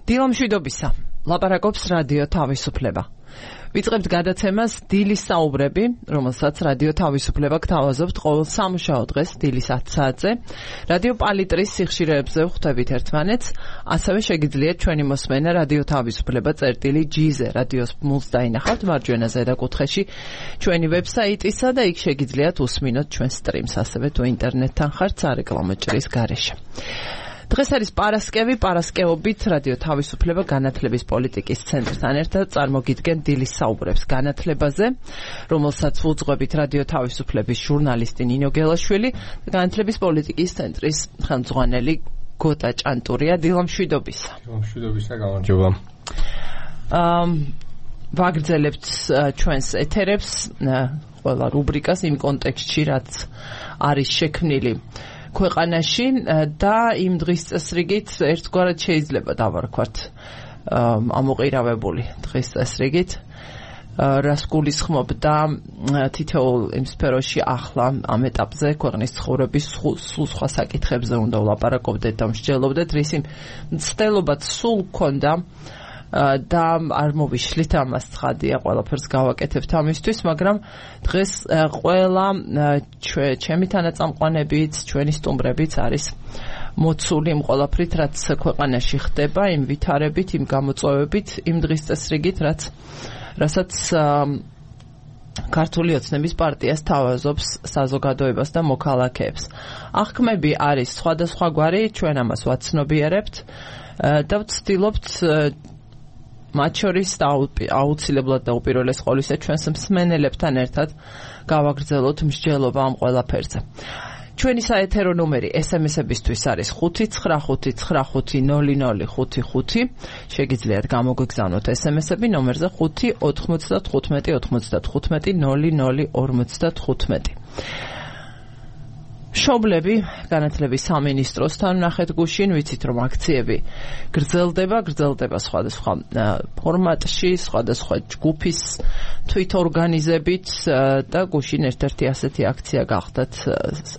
დილამშვიდობისა, ლაპარაკობს რადიო თავისუფლება. ვიწყებთ გადაცემას დილის საუბრები, რომელსაც რადიო თავისუფლება გთავაზობთ ყოველ სამუშაო დღეს დილის 10 საათზე. რადიო პალიტრის სიხშირეებზე ვხვდებით ერთმანეთს, ასევე შეგიძლიათ ჩვენი მოსმენა რადიო თავისუფლება წერტილი.gz-ზე რადიოს მულს დაინახავთ მარჯვენა ზედა კუთხეში ჩვენი ვებსაიტისა და იქ შეგიძლიათ უსმინოთ ჩვენ სტრიმს, ასევე თუ ინტერნეტთან ხართ სარეკლამო ჭრის გარეშე. დღეს არის პარასკევობით რადიო თავისუფლება განათლების პოლიტიკის ცენტრთან ერთად წარმოგიდგენ დილის საუბრებს განათლებაზე, რომელსაც უძღვებით რადიო თავისუფლების ჟურნალისტი ნინო გელაშვილი და განათლების პოლიტიკის ცენტრის ხელმძღვანელი გოტა ჭანტურია. დილამშვიდობისა. დილამშვიდობისა, გამარჯობა. ვაგრძელებთ ჩვენს ეთერებს, ყველა რუბრიკას იმ კონტექსტში, რაც არის შექმნილი ქვეყანაში და იმ დღის წესრიგით ერთგვარად შეიძლება დავარქვათ ამოყირავებული დღის წესრიგით, რას გულისხმობდა თითოეულ იმ სფეროში ახლა ამ ეტაპზე ქვეყნის ცხოვრების სულ სხვა საკითხებზე უნდა ვლაპარაკობდეთ და მსჯელობდეთ, რისი მცდელობაც სულ გქონდა და არ მოვიშლით ამას ცხადია, ყველაფერს გავაკეთებთ ამისთვის, მაგრამ დღეს ყველა ჩემი თანაწამყვანებიც, ჩვენი სტუმრებიც არის მოცული იმ ყველაფრით, რაც ქვეყანაში ხდება, იმ ვითარებით, იმ გამოწვევებით, იმ დღის წესრიგით, რასაც ქართული ოცნების პარტიას თავაზობს საზოგადოებას და მოქალაქეებს. აღქმები არის სხვადასხვაგვარი, ჩვენ ამას ვაცნობიერებთ და ვცდილობთ მათ შორის და აუცილებლად და უპირველეს ყოვლისა ჩვენს მსმენელებთან ერთად გავაგრძელოთ მსჯელობა ამ ყველაფერზე. ჩვენი საეთერო ნომერი SMS-ებისთვის არის 595500555. შეგიძლიათ გამოგვიგზავნოთ SMS-ები ნომერზე 595550055. მშობლები განათლების სამინისტროსთან ნახეთ გუშინ, ვიცით რომ აქციები გრძელდება სხვადასხვა ფორმატში, სხვადასხვა ჯგუფის თვითორგანიზებით და გუშინ ერთ-ერთი ასეთი აქცია გახდათ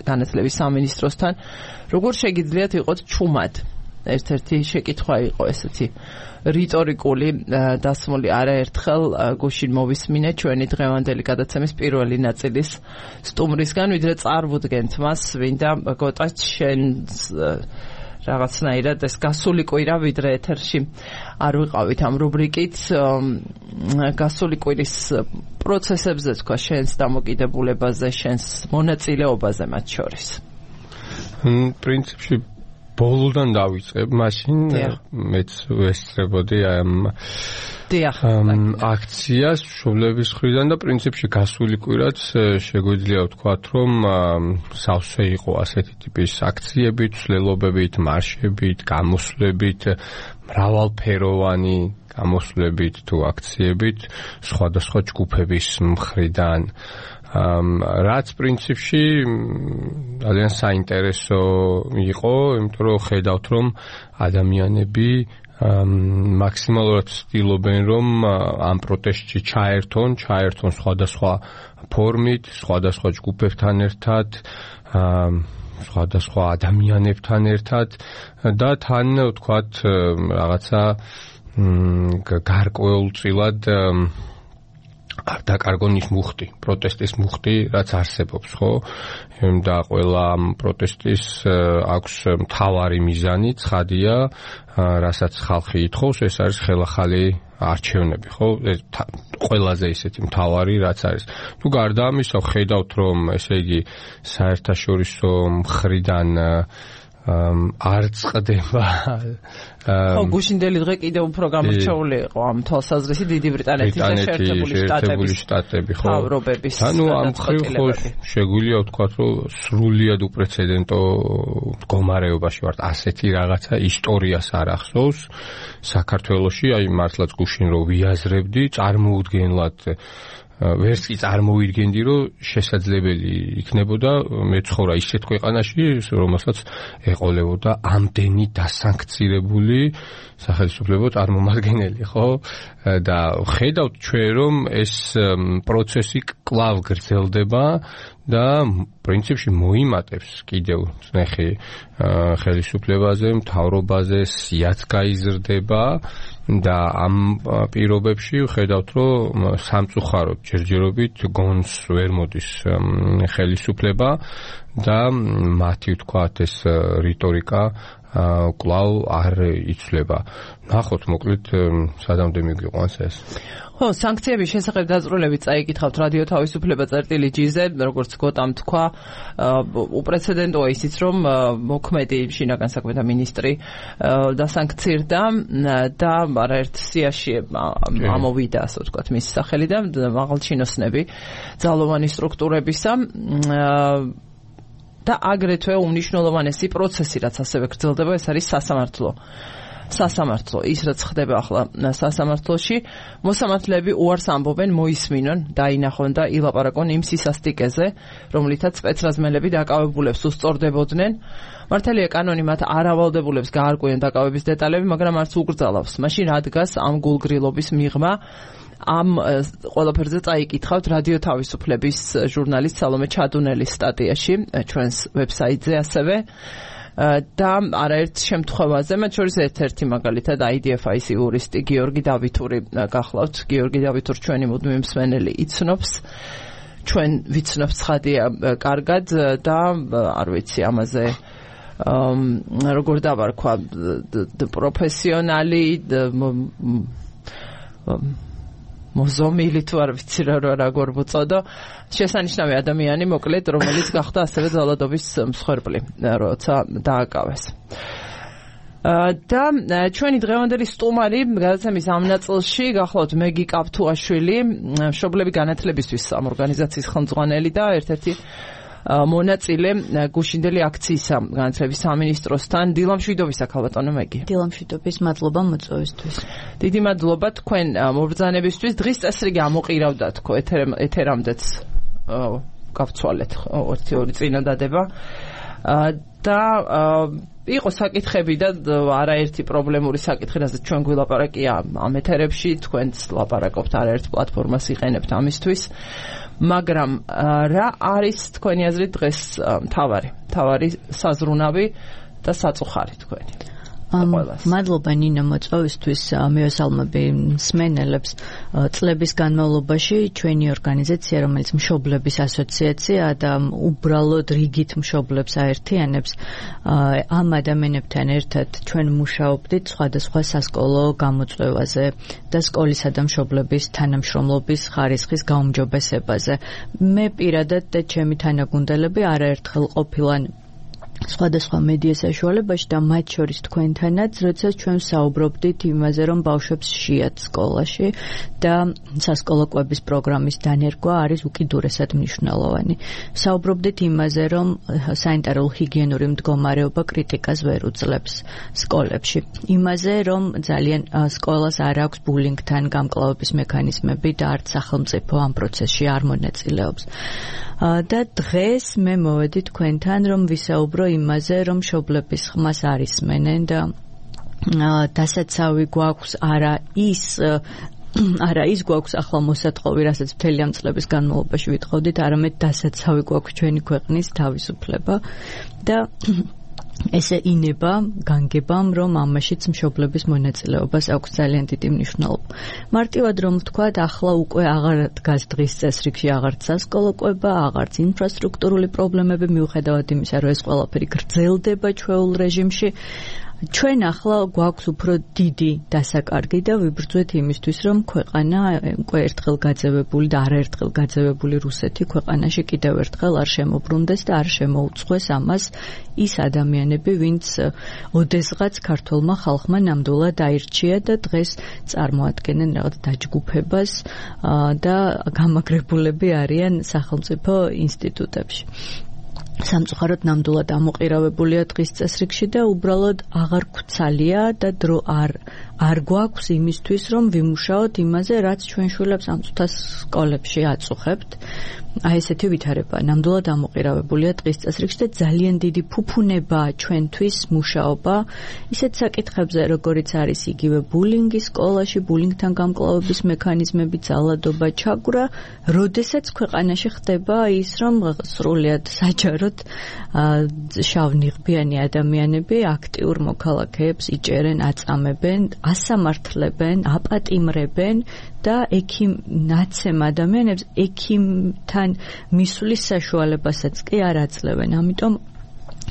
განათლების სამინისტროსთან. როგორ შეგიძლიათ იყოთ ჩუმად? ერთ-ერთი შეკითხვა იყო ესეთი რიტორიკული დასმული არაერთხელ გუშინ მოვისმინე ჩვენი დღევანდელი გადაცემის პირველი ნაწილის სტუმრისგან, ვიდრე წარვუდგენთ მას, ვინდა გოტა შენს რაღაცნაირად ეს გასული კვირა, ვიდრე ეთერში არ ვიყავით ამ რუბრიკით, გასული კვირის პროცესებზე თქვა, შენს დამოკიდებულებაზე, შენს მონაწილეობაზე მათ შორის. პრინციპში ბოლოდან დავიწყებ, მაშინ მეც ვესწრებოდი ამ აქციას მშობლების მხრიდან და პრინციპში გასული კვირაც შეგვიძლია ვთქვათ, რომ სავსე იყო ასეთი ტიპის აქციებით, ცვლილობებით, მარშებით, გამოსვლებით, მრავალფეროვანი გამოსვლებით თუ აქციებით სხვადასხვა ჯგუფების მხრიდან. რაც პრინციპში ძალიან საინტერესო იყო, იმიტომ რომ ხედავთ, რომ ადამიანები მაქსიმალურად ცდილობენ, რომ ამ პროტესტში ჩაერთონ სხვადასხვა ფორმით, სხვადასხვა ჯგუფებთან ერთად, სხვადასხვა ადამიანებთან ერთად და თან ვთქვათ რაღაცა გარკვეულწილად არ დაკარგონ ის მუხტი, პროტესტის მუხტი, რაც არსებობს, ხო? და ყველა პროტესტის აქვს მთავარი მიზანი, ცხადია, რასაც ხალხი ითხოვს, ეს არის ხელახალი არჩევნები, ხო? ყველაზე ისეთი მთავარი, რაც არის. თუ გარდა ამისა, ხედავთ, რომ ესე იგი საერთაშორისო მხრიდან არ წყდება. ხო, გუშინდელი დღე კიდევ უფრო გამორჩეული იყო ამ თვალსაზრისით დიდი ბრიტანეთის და შეერთებული შტატების მთავრობების. ანუ ამ მხრივ ხო შეგვიძლია ვთქვათ, რომ სრულიად უპრეცედენტო მდგომარეობაში ვართ. ასეთი რაღაცა ისტორიას არ ახსოვს საქართველოში, აი მართლაც გუშინ რო ვიაზრებდი, წარმოუდგენლად ვერც კი წარმოვიდგენდი, რომ შესაძლებელი იქნებოდა მეცხოვრა ისეთ ქვეყანაში, რომელსაც ეყოლებოდა ამდენი დასანქცირებული სახელმწიფო წარმომადგენელი, ხო? და ხედავთ ჩვენ, რომ ეს პროცესი კვლავ გრძელდება და პრინციპში მოიმატებს კიდევ წნეხი ხელისუფლებაზე, მთავრობაზე, სიაც გაიზრდება და ამ პირობებში ვხედავთ, რომ სამწუხაროდ ჯერჯერობით გონს ვერ მოდის ხელისუფლება და მათი ვთქვათ ეს რიტორიკა კვლავ არ იცვლება. ნახოთ მოკლედ სადამდე მიგვიყვანს ეს. ხო, სანქციების შესახებ დაწვრილებით წაიკითხავთ რადიო თავისუფლება წერტილი.gz-ზე, როგორც გოტამ თქვა, უპრეცედენტოა ისიც, რომ მოქმედი შინაგან საქმეთა მინისტრი დასანქცირდა და არაერთ სიაში ამოვიდა, ასე ვთქვათ, მისი სახელი და მაღალჩინოსნები ძალოვანი სტრუქტურებისა და აგრეთვე უმნიშვნელოვანესი პროცესი, რაც ასევე გრძელდება, ეს არის სასამართლო. ის რაც ხდება ახლა სასამართლოში, მოსამართლეები უარს ამბობენ, მოისმინონ, დაინახონ და ილაპარაკონ იმ სისასტიკეზე, რომლითაც სპეცრაზმელები დაკავებულებს უსწორდებოდნენ. მართალია კანონი მათ არ ავალდებულებს გაარკვიონ დაკავების დეტალები, მაგრამ არც უკრძალავს. მაშინ რა დგას ამ გულგრილობის მიღმა? ამ ყველაფერზე წაიკითხავთ რადიო თავისუფლების ჟურნალისტ სალომე ჩადუნელის სტატიაში ჩვენს ვებსაიტზე ასევე და არაერთ შემთხვევაზე, მათ შორის ერთ-ერთი მაგალითად IDFIS იურისტი გიორგი დავითური გახლავთ. გიორგი დავითური ჩვენი მუდმივი მსმენელი იცნობს, ჩვენ ვიცნობთ ცხადია კარგად და არ ვიცი ამაზე როგორ დავარქვა, პროფესიონალი მოზომილი თუ არ ვიცი როგორ ვუწოდო, შესანიშნავი ადამიანი მოკლედ, რომელიც გახდა ასევე ძალადობის მსხვერპლი, როცა დააკავეს. და ჩვენი დღევანდელი სტუმარი გადაცემის ამ ნაწილში გახლავთ მეგი კაფთუაშვილი, მშობლები განათლებისთვის ამ ორგანიზაციის ხელმძღვანელი და ერთ-ერთი მონაწილე გუშინდელი აქციისა განათლების სამინისტროსთან. დილამშვიდობისა ქალბატონო მეგი. დილამშვიდობის, მადლობა მოწვევისთვის. დიდი მადლობა თქვენ მობრძანებისთვის. დღის წესრიგი ამოყირავდა თქო ეთერამდეც გავცვალეთ 2 წინადადება და იყო საკითხები და არაერთი პრობლემური საკითხი, რასაც ჩვენ გვილაპარაკია ამ ეთერებში, თქვენც ლაპარაკობთ, არაერთ პლატფორმას იყენებთ ამისთვის. მაგრამ რა არის თქვენი აზრით დღეს მთავარი საზრუნავი და საწუხარი თქვენი? მადლობა ნინო მოწვევისთვის. მივესალმები მსმენელებს. წლების განმავლობაში ჩვენი ორგანიზაცია, რომელიც მშობლების ასოციაცია და უბრალოდ რიგით მშობლებს აერთიანებს, ამ ადამიანებთან ერთად ჩვენ მუშაობდით სხვადასხვა სასკოლო გამოწვევაზე და სკოლისა და მშობლების თანამშრომლობის ხარისხის გაუმჯობესებაზე. მე პირადად და ჩემი თანაგუნდელები არაერთხელ ყოფილან სხვადასხვა მედია საშუალებაში და მათ შორის თქვენთანაც, როდესაც ჩვენ საუბრობდით იმაზე, რომ ბავშვებს შეათ სკოლაში და სასკოლო კვების პროგრამის დანერგვა არის უკიდურესად მნიშვნელოვანი. საუბრობდით იმაზე, რომ სანიტარულ-ჰიგიენური მდგომარეობა კრიტიკას ვერ უძლებს სკოლებში. იმაზე, რომ ძალიან სკოლას არ აქვს ბულინგთან გამკლავების მექანიზმები და არც სახელმწიფო ამ პროცესში არ მონაწილეობს. და დღეს მე მოვედი თქვენთან, რომ ვისაუბრო იმაზე, რომ მშობლების ხმას არ ისმენენ და დასაცავი გვაქვს არა ის გვაქვს ახლა მოსათხოვი, რასაც მთელი ამ წლების განმავლობაში ვიტყოდით, არამედ დასაცავი გვაქვს ჩვენი ქვეყნის თავისუფლება და ესე ინება განგებამ, რომ ამაშიც მშობლების მონაწილეობას აქვს ძალიან დიდი მნიშვნელობა. მარტივად რომ ვთქვათ, ახლა უკვე აღარ დგას დღის წესრიგში აღარც სასკოლო კვება, აღარც ინფრასტრუქტურული პრობლემები, მიუხედავად იმისა, რომ ეს ყველაფერი გრძელდება ჩვეულ რეჟიმში. ჩვენ ახლა გვაქვს უფრო დიდი დასაკარგი და ვიბრძვეთ იმისთვის, რომ ქვეყანა უკვე ერთხელ გაძევებული და არაერთხელ გაძევებული რუსეთი ქვეყანაში კიდევ ერთხელ არ შემოbrunდეს და არ შემოუწყვეს ამას ის ადამიანები, ვინც ოდესღაც ქართულმა ხალხმა ნამდვილად აირჩია და დღეს წარმოადგენენ რაღაც დაჯგუფებას და გამაგრებულები არიან სახელმწიფო ინსტიტუტებში. სამწუხაროდ ნამდვილად ამოყირავებულია დღის წესრიგში და უბრალოდ აღარ გვცალია და დრო არ არ გვაქვს იმისთვის, რომ ვიმუშაოთ იმაზე, რაც ჩვენ შვილებს ამ წუთას სკოლებში აწუხებთ. აი ესეთი ვითარება ნამდვილად ამოყირავებულია დღის წესრიგში და ძალიან დიდი ფუფუნებაა ჩვენთვის მუშაობა ისეთ საკითხებზე, როგორიც არის იგივე ბულინგი სკოლაში, ბულინგთან გამკლავების მექანიზმები, ძალადობა, ჩაგვრა, როდესაც ქვეყანაში ხდება ის, რომ სრულიად საჯაროდ შავნიღბიანი ადამიანები აქტიურ მოქალაქეებს იჭერენ, აწამებენ, ასამართლებენ, აპატიმრებენ და ნაცემ ადამიანებს ექიმთან მისვლის საშუალებასაც კი არ აძლევენ. ამიტომ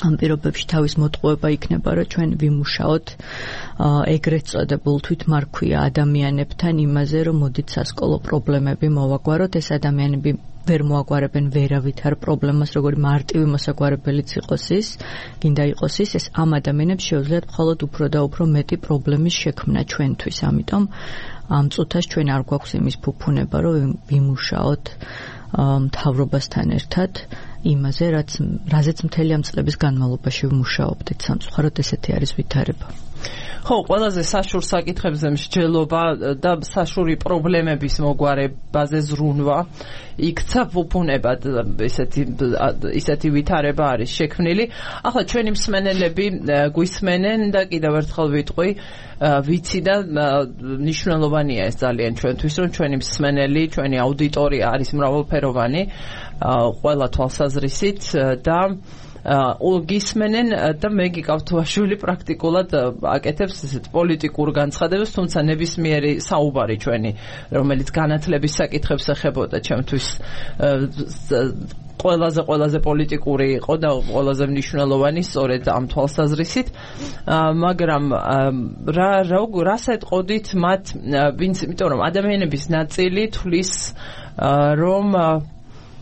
ამ პირობებში თავის მოტყუება იქნება, რომ ჩვენ ვიმუშაოთ ეგრეთ წოდებულ თვითმარქვია ადამიანებთან იმაზე, რომ მოდით სასკოლო პრობლემები მოვაგვაროთ. ეს ადამიანები ვერ მოაგვარებენ ვერავითარ პრობლემას, როგორი მარტივი მოსაგვარებელიც იყოს ის, გინდა იყოს ის, ეს ამ ადამიანებს შეუძლიათ მხოლოდ უფრო და უფრო მეტი პრობლემის შექმნა ჩვენთვის. ამიტომ ამ წუთას ჩვენ არ გვაქვს იმის ფუფუნება, რომ ვიმუშაოთ მთავრობასთან ერთად იმაზე, რაზეც მთელი ამ წლების განმავლობაში ვმუშაობდით. სამწუხაროდ ესეთი არის ვითარება. ხო, ყველაზე საშურ საკითხებზე მსჯელობა და საშური პრობლემების მოგვარებაზე ზრუნვა იქცა ფუფუნებად ისეთი ვითარება არის შექმნილი. ახლა ჩვენი მსმენელები გვისმენენ და კიდევ ერთხელ ვიტყვი, ვიცი და მნიშვნელოვანია ეს ძალიან ჩვენთვის, რომ ჩვენი მსმენელი, ჩვენი აუდიტორია არის მრავალფეროვანი, ყველა თვალსაზრისით და გისმენენ და მე გიკავთუაშვილი პრაქტიკულად აკეთებს ესეთ პოლიტიკურ განცხადებას, თუმცა ნებისმიერი საუბარი ჩვენი, რომელიც განათლების საკითხებს ეხებოდა, ჩემთვის ყველაზე პოლიტიკური იყო და ყველაზე მნიშვნელოვანი სწორედ ამ თვალსაზრისით, მაგრამ რას ეტყოდით მათ, იმიტომ რომ ადამიანების ნაწილი თვლის რომ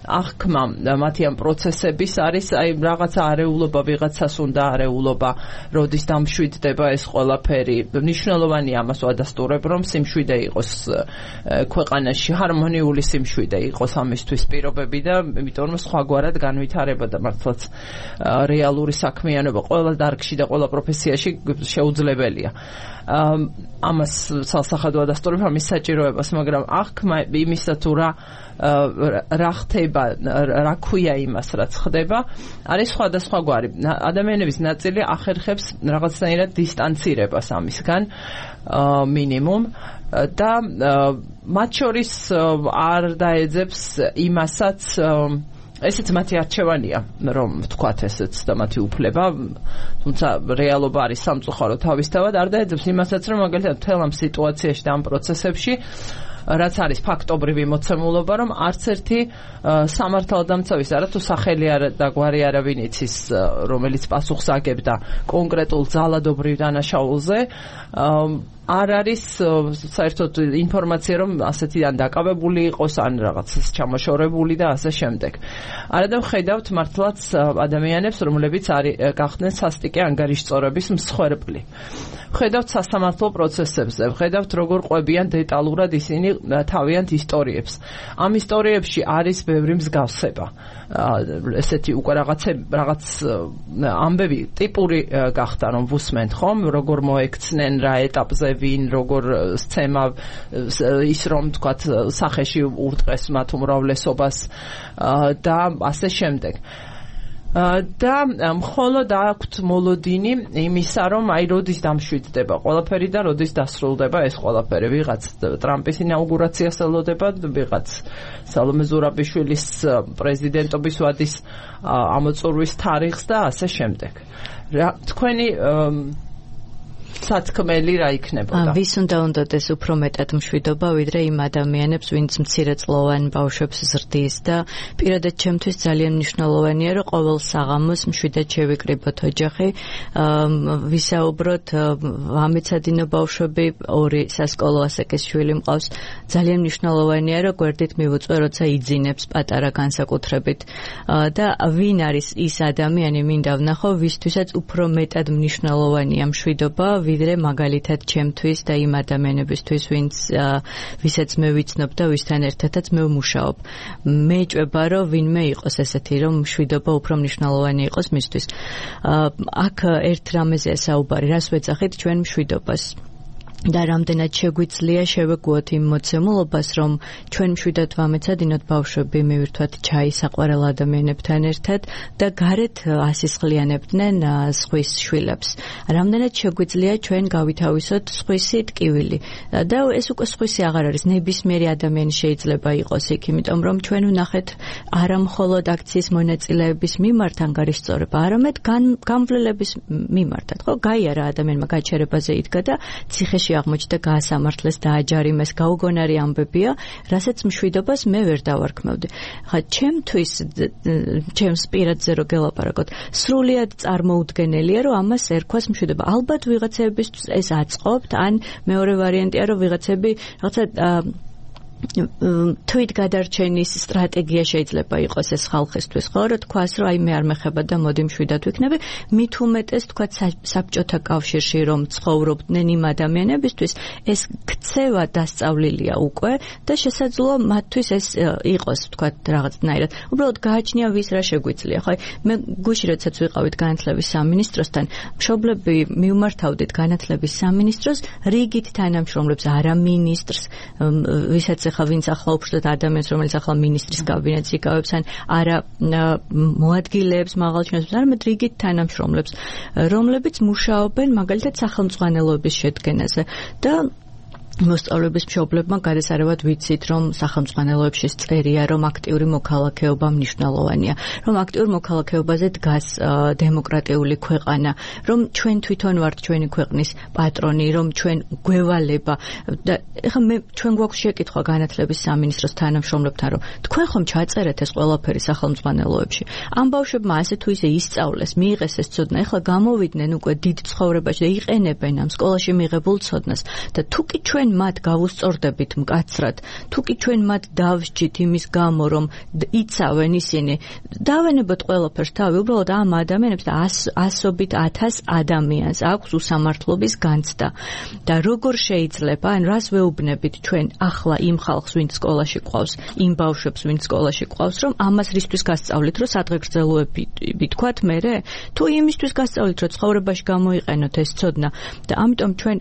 აღქმა მათი ამ პროცესების არის აი რაღაცა არეულობა, ვიღაცას უნდა არეულობა, როდის დამშვიდდება ეს ყველაფერი. მნიშვნელოვანია ამას ვადასტურებ, რომ სიმშვიდე იყოს ქვეყანაში, ჰარმონიული სიმშვიდე იყოს ამისთვის პირობები და იმიტომ რომ სხვაგვარად განვითარება და მართლაც რეალური საქმიანობა ყველა დარგში და ყველა პროფესიაში შეუძლებელია. ამას სალსახად ვადასტურებ ამის საჭიროებას, მაგრამ აღქმა იმისა თუ რა ხდება, რა ქვია იმას, რაც ხდება, არის სხვადასხვაგვარი. ადამიანების ნაწილი ახერხებს რაღაცნაირად დისტანცირებას ამისგან მინიმუმ და მათ შორის არ დაეძებს იმასაც, ესეც მათი არჩევანია, რომ ვთქვათ ესეც და მათი უფლება, თუმცა რეალობა არის სამწუხარო თავისთავად, არ დაეძებს იმასაც, რომ მაგალითად მთელ ამ სიტუაციაში და ამ პროცესებში რაც არის ფაქტობრივი მოცემულობა, რომ არც ერთი სამართალდამცავის არა თუ სახელი არა და გვარი არავინ იცის, რომელიც პასუხს აგებდა კონკრეტულ ძალადობრივ დანაშაულზე, არ არის საერთოდ ინფორმაცია, რომ ასეთიდან დაკავებული იყოს, ან რაღაცას ჩამოშორებული და ასე შემდეგ. არადა ვხედავთ მართლაც ადამიანებს, რომლებიც გახდნენ სასტიკე ანგარიშწორების მსხვერპლი. ვხედავთ სასამართლო პროცესებზე, ვხედავთ როგორ ყვებიან დეტალურად ისინი თავიანთ ისტორიებს. ამ ისტორიებში არის ბევრი მსგავსება. ესეთი უკვე რაღაც ამბები ტიპური გახდა, რომ ვუსმენთ ხომ, როგორ მოექცნენ, რა ეტაპზე ვინ, როგორ სცემა ის რომ თქვათ სახეში ურტყეს მათ უმრავლესობას და ასე შემდეგ. და მხოლოდ აქვთ მოლოდინი იმისა, რომ აი როდის დამშვიდდება ყველაფერი და როდის დასრულდება ეს ყველაფერი. ვიღაც ტრამპის ინაუგურაციას ელოდება, ვიღაც სალომე ზურაბიშვილის პრეზიდენტობის ვადის ამოწურვის თარიღს და ასე შემდეგ. თქვენი სათქმელი რა იქნებოდა? ვის უნდა უნდადეს უფრო მეტად მშვიდობა, ვიდრე იმ ადამიანებს, ვინც მცირეწლოვან ბავშვებს ზრდის და პირადად ჩემთვის ძალიან მნიშვნელოვანია, რომ ყოველ საღამოს მშვიდად შევიკრიბოთ ოჯახი, ვისაუბროთ, ამეცადინო ბავშვები, 2 სასკოლო ასაკის შვილი მყავს, ძალიან მნიშვნელოვანია, რომ გვერდით მივუწვე, როცა იძინებს პატარა განსაკუთრებით და ვინ არის ის ადამიანი, მინდა ვნახო, ვისთვისაც უფრო მეტად მნიშვნელოვანია მშვიდობა, ვიდრე მაგალითად ჩემთვის და იმ ადამიანებისთვის, ვისაც მე ვიცნობ და ვისთან ერთადაც მე ვმუშაობ. მე ჭვება, რომ ვინმე იყოს ესეთი, რომ მშვიდობა უფრო მნიშვნელოვანი იყოს მისთვის. აქ ერთ რამეზეა საუბარი, რას ვეძახით ჩვენ მშვიდობას. და რამდენად შეგვიძლია შევეგუოთ იმ მოცემულობას, რომ ჩვენ მშვიდად ვამეცადინოთ ბავშვები მივირთვათ ჩაი საყვარელ ადამიანებთან ერთად და გარეთ ასისხლიანებდნენ სხვის შვილებს. რამდენად შეგვიძლია ჩვენ გავითავისოთ სხვისი ტკივილი. და ეს უკვე სხვისი აღარ არის, ნებისმიერი ადამიანი შეიძლება იყოს იქ, იმიტომ რომ ჩვენ ვნახეთ არა მხოლოდ აქციის მონაწილეების მიმართ ანგარიშწორება, არამედ გამვლელების მიმართად. ხო, გაიარა ადამიანმა გაჩერებაზე იდგა და ციხეში აღმოჩნდა გაასამართლეს და აჯარიმეს გაუგონარი ამბებია, რასაც მშვიდობას მე ვერ დავარქმევდი. ხა ჩემთვის ჩემს პირადზე რო გელაპარაკოთ, სრულიად წარმოუდგენელია, რომ ამას ერქვას მშვიდობა. ალბათ ვიღაცებისთვის ეს აწყობთ, ან მეორე ვარიანტია, რომ ვიღაცები რაღაცა თვით გადარჩენის სტრატეგია შეიძლება იყოს ეს ხალხისთვის, ხო, რომ თქვას, რომ აი მე არ მეხება და მოდი მშვიდად ვიქნები, მით უმეტეს თქვა საბჭოთა კავშირში რომ ცხოვრობდნენ იმ ადამიანებისთვის, ეს ქცევა დასწავლილია უკვე და შესაძლოა მათთვის ეს იყოს, თქვა რაღაცნაირად. უბრალოდ გააჩნია ვის რა შეგვიძლია. ხო, მე გუშინ როდესაც ვიყავით განათლების სამინისტროსთან, მშობლები მივმართავდით განათლების სამინისტროს რიგით თანამშრომლებს, არა მინისტრს, ვისაც ახლა ვინც ახლა უბრალოდ ადამიანს, რომელიც ახლა მინისტრის კაბინეტს იკავებს, ან არა მოადგილეებს, მაღალჩინოსებს, არამედ რიგით თანამშრომლებს, რომლებიც მუშაობენ მაგალითად სახელმძღვანელოების შედგენაზე და მოსწავლეების მშობლებმა გადასარევად ვიცით, რომ სახელმძღვანელოებში წერია, რომ აქტიური მოქალაქეობა მნიშვნელოვანია, რომ აქტიურ მოქალაქეობაზე დგას დემოკრატიული ქვეყანა, რომ ჩვენ თვითონ ვართ ჩვენი ქვეყნის პატრონი, რომ ჩვენ გვევალება და ეხლა ჩვენ გვაქვს შეკითხვა განათლების სამინისტროს თანამშრომლებთან, რომ თქვენ ხომ ჩაწერეთ ეს ყველაფერი სახელმძღვანელოებში? ამ ბავშვებმა ასე თუ ისე ისწავლეს, მიიღეს ეს ცოდნა, ეხლა გამოვიდნენ უკვე დიდ ცხოვრებაში და იყენებენ ამ სკოლაში მიღებულ ცოდნას და თუკი ჩვენ მათ გავუსწორდებით მკაცრად, თუკი ჩვენ მათ დავსჯით იმის გამო, რომ იცავენ ისინი, დავენებოთ ყველაფერს თავი, უბრალოდ ამ ადამიანებს და ასობით 1000 ადამიანს აქვს უსამართლობის განცდა. და როგორ შეიძლება, ან რას ვეუბნებით ჩვენ ახლა იმ ხალხს, ვინც სკოლაში ყავს, იმ ბავშვებს, ვინც სკოლაში ყავს, რომ ამას რისთვის გასწავლით, რომ სადღეგრძელოები თქვათ მერე, თუ იმისთვის გასწავლით, რომ ცხოვრებაში გამოიყენოთ ეს ცოდნა და ამიტომ ჩვენ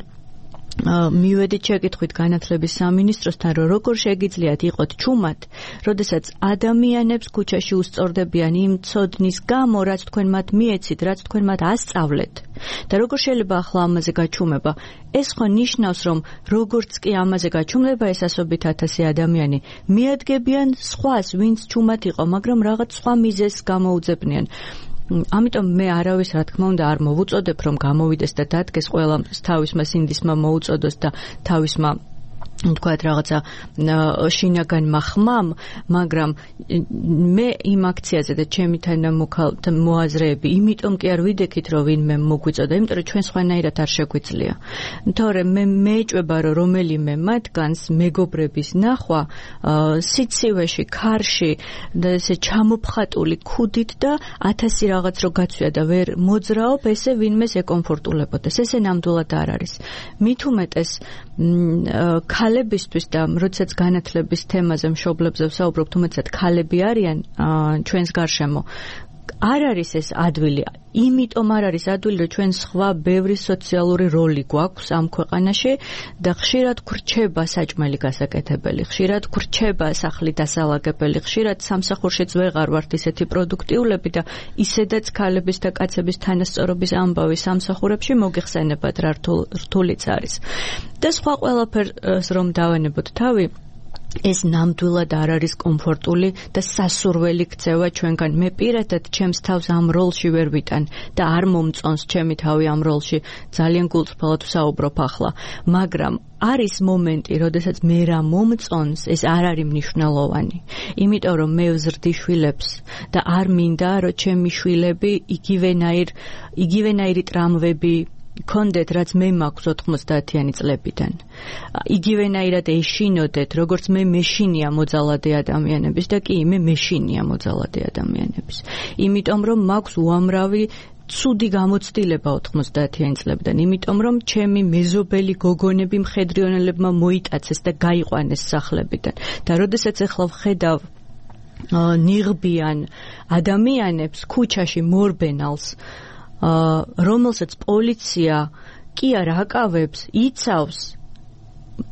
მივედით შეკითხვით განათლების სამინისტროსთან, რომ როგორ შეგიძლიათ იყოთ ჩუმად, როდესაც ადამიანებს ქუჩაში უსწორდებიან იმ ცოდნის გამო, რაც თქვენ მათ მიეცით, რაც თქვენ მათ ასწავლეთ. და როგორ შეიძლება ახლა ამაზე გაჩუმება? ეს ხო ნიშნავს, რომ როგორც კი ამაზე გაჩუმდება ეს ასობით 1000 ადამიანი, მიადგებიან სხვას, ვინც ჩუმად იყო, მაგრამ რაღაც სხვა მიზეზს გამოუძებნიან. ამიტომ მე არავის რა თქმა უნდა არ მოვუწოდებ რომ გამოვიდეს და დადგეს ყველა თავისმა სინდისმა მოუწოდოს და თავისმა თქვათ რაღაცა შინაგანმა ხმამ, მაგრამ მე იმ აქციაზე და ჩემი მოაზრეები, იმიტომ კი არ ვიდექით, რომ ვინმე მოგვიწოდა, იმიტომ რომ ჩვენ სხვანაირად არ შეგვიძლია. თორემ მე მეეჭვება, რომ რომელიმე მათგანს მეგობრების ნახვა სიცივეში, ქარში და ესე ჩამოფხატული ქუდით და 1000 რაღაც რო გაცვია და ვერ მოძრაობ, ესე ვინმეს ეკომფორტულებოდეს. ესე ნამდვილად არ არის. მით უმეტეს ქალებისთვის და როდესაც განათლების თემაზე მშობლებზე ვსაუბრობთ, უმეტესად ქალები არიან ჩვენს გარშემო. არ არის ეს ადვილი, იმიტომ არ არის ადვილი, რომ ჩვენ სხვა ბევრი სოციალური როლი გვაქვს ამ ქვეყანაში და ხშირად გრჩება საჭმელი გასაკეთებელი, ხშირად გრჩება სახლი დასალაგებელი, ხშირად სამსახურშიც ვეღარ ვართ ისეთი პროდუქტიულები და ისედაც ქალების და კაცების თანასწორობის ამბავი მოგიხსენებათ რა რთულიც არის. და სხვა ყველაფერს რომ დავანებოთ თავი, ეს ნამდვილად არ არის კომფორტული და სასურველი ქცევა ჩვენგან. მე პირადად ჩემს თავს ამ როლში ვერ ვიტან და არ მომწონს ჩემი თავი ამ როლში. ძალიან გულწრფელად ვსაუბრობ ახლა, მაგრამ არის მომენტი, როდესაც მე რა მომწონს, ეს არ არის მნიშვნელოვანი. იმიტომ რომ მე ვზრდი შვილებს და არ მინდა, რომ ჩემი შვილები იგივენაირი ტრამვები კონდეთ, რაც მე მაქვს 90-იანი წლებიდან. იგივენაირად ეშინოდეთ, როგორც მე მეშინია მოძალადე ადამიანების და კი მე მეშინია მოძალადე ადამიანების. იმიტომ რომ მაქვს უამრავი ცუდი გამოცდილება 90-იანი წლებიდან, იმიტომ რომ ჩემი მეზობელი გოგონები მხედრიონელებმა მოიტაცეს და გაიყვანეს სახლებიდან. და როდესაც ახლა ვხედავ ნიღბიან ადამიანებს ქუჩაში მორბენალს, რომელსაც პოლიცია კი არა აკავებს, იცავს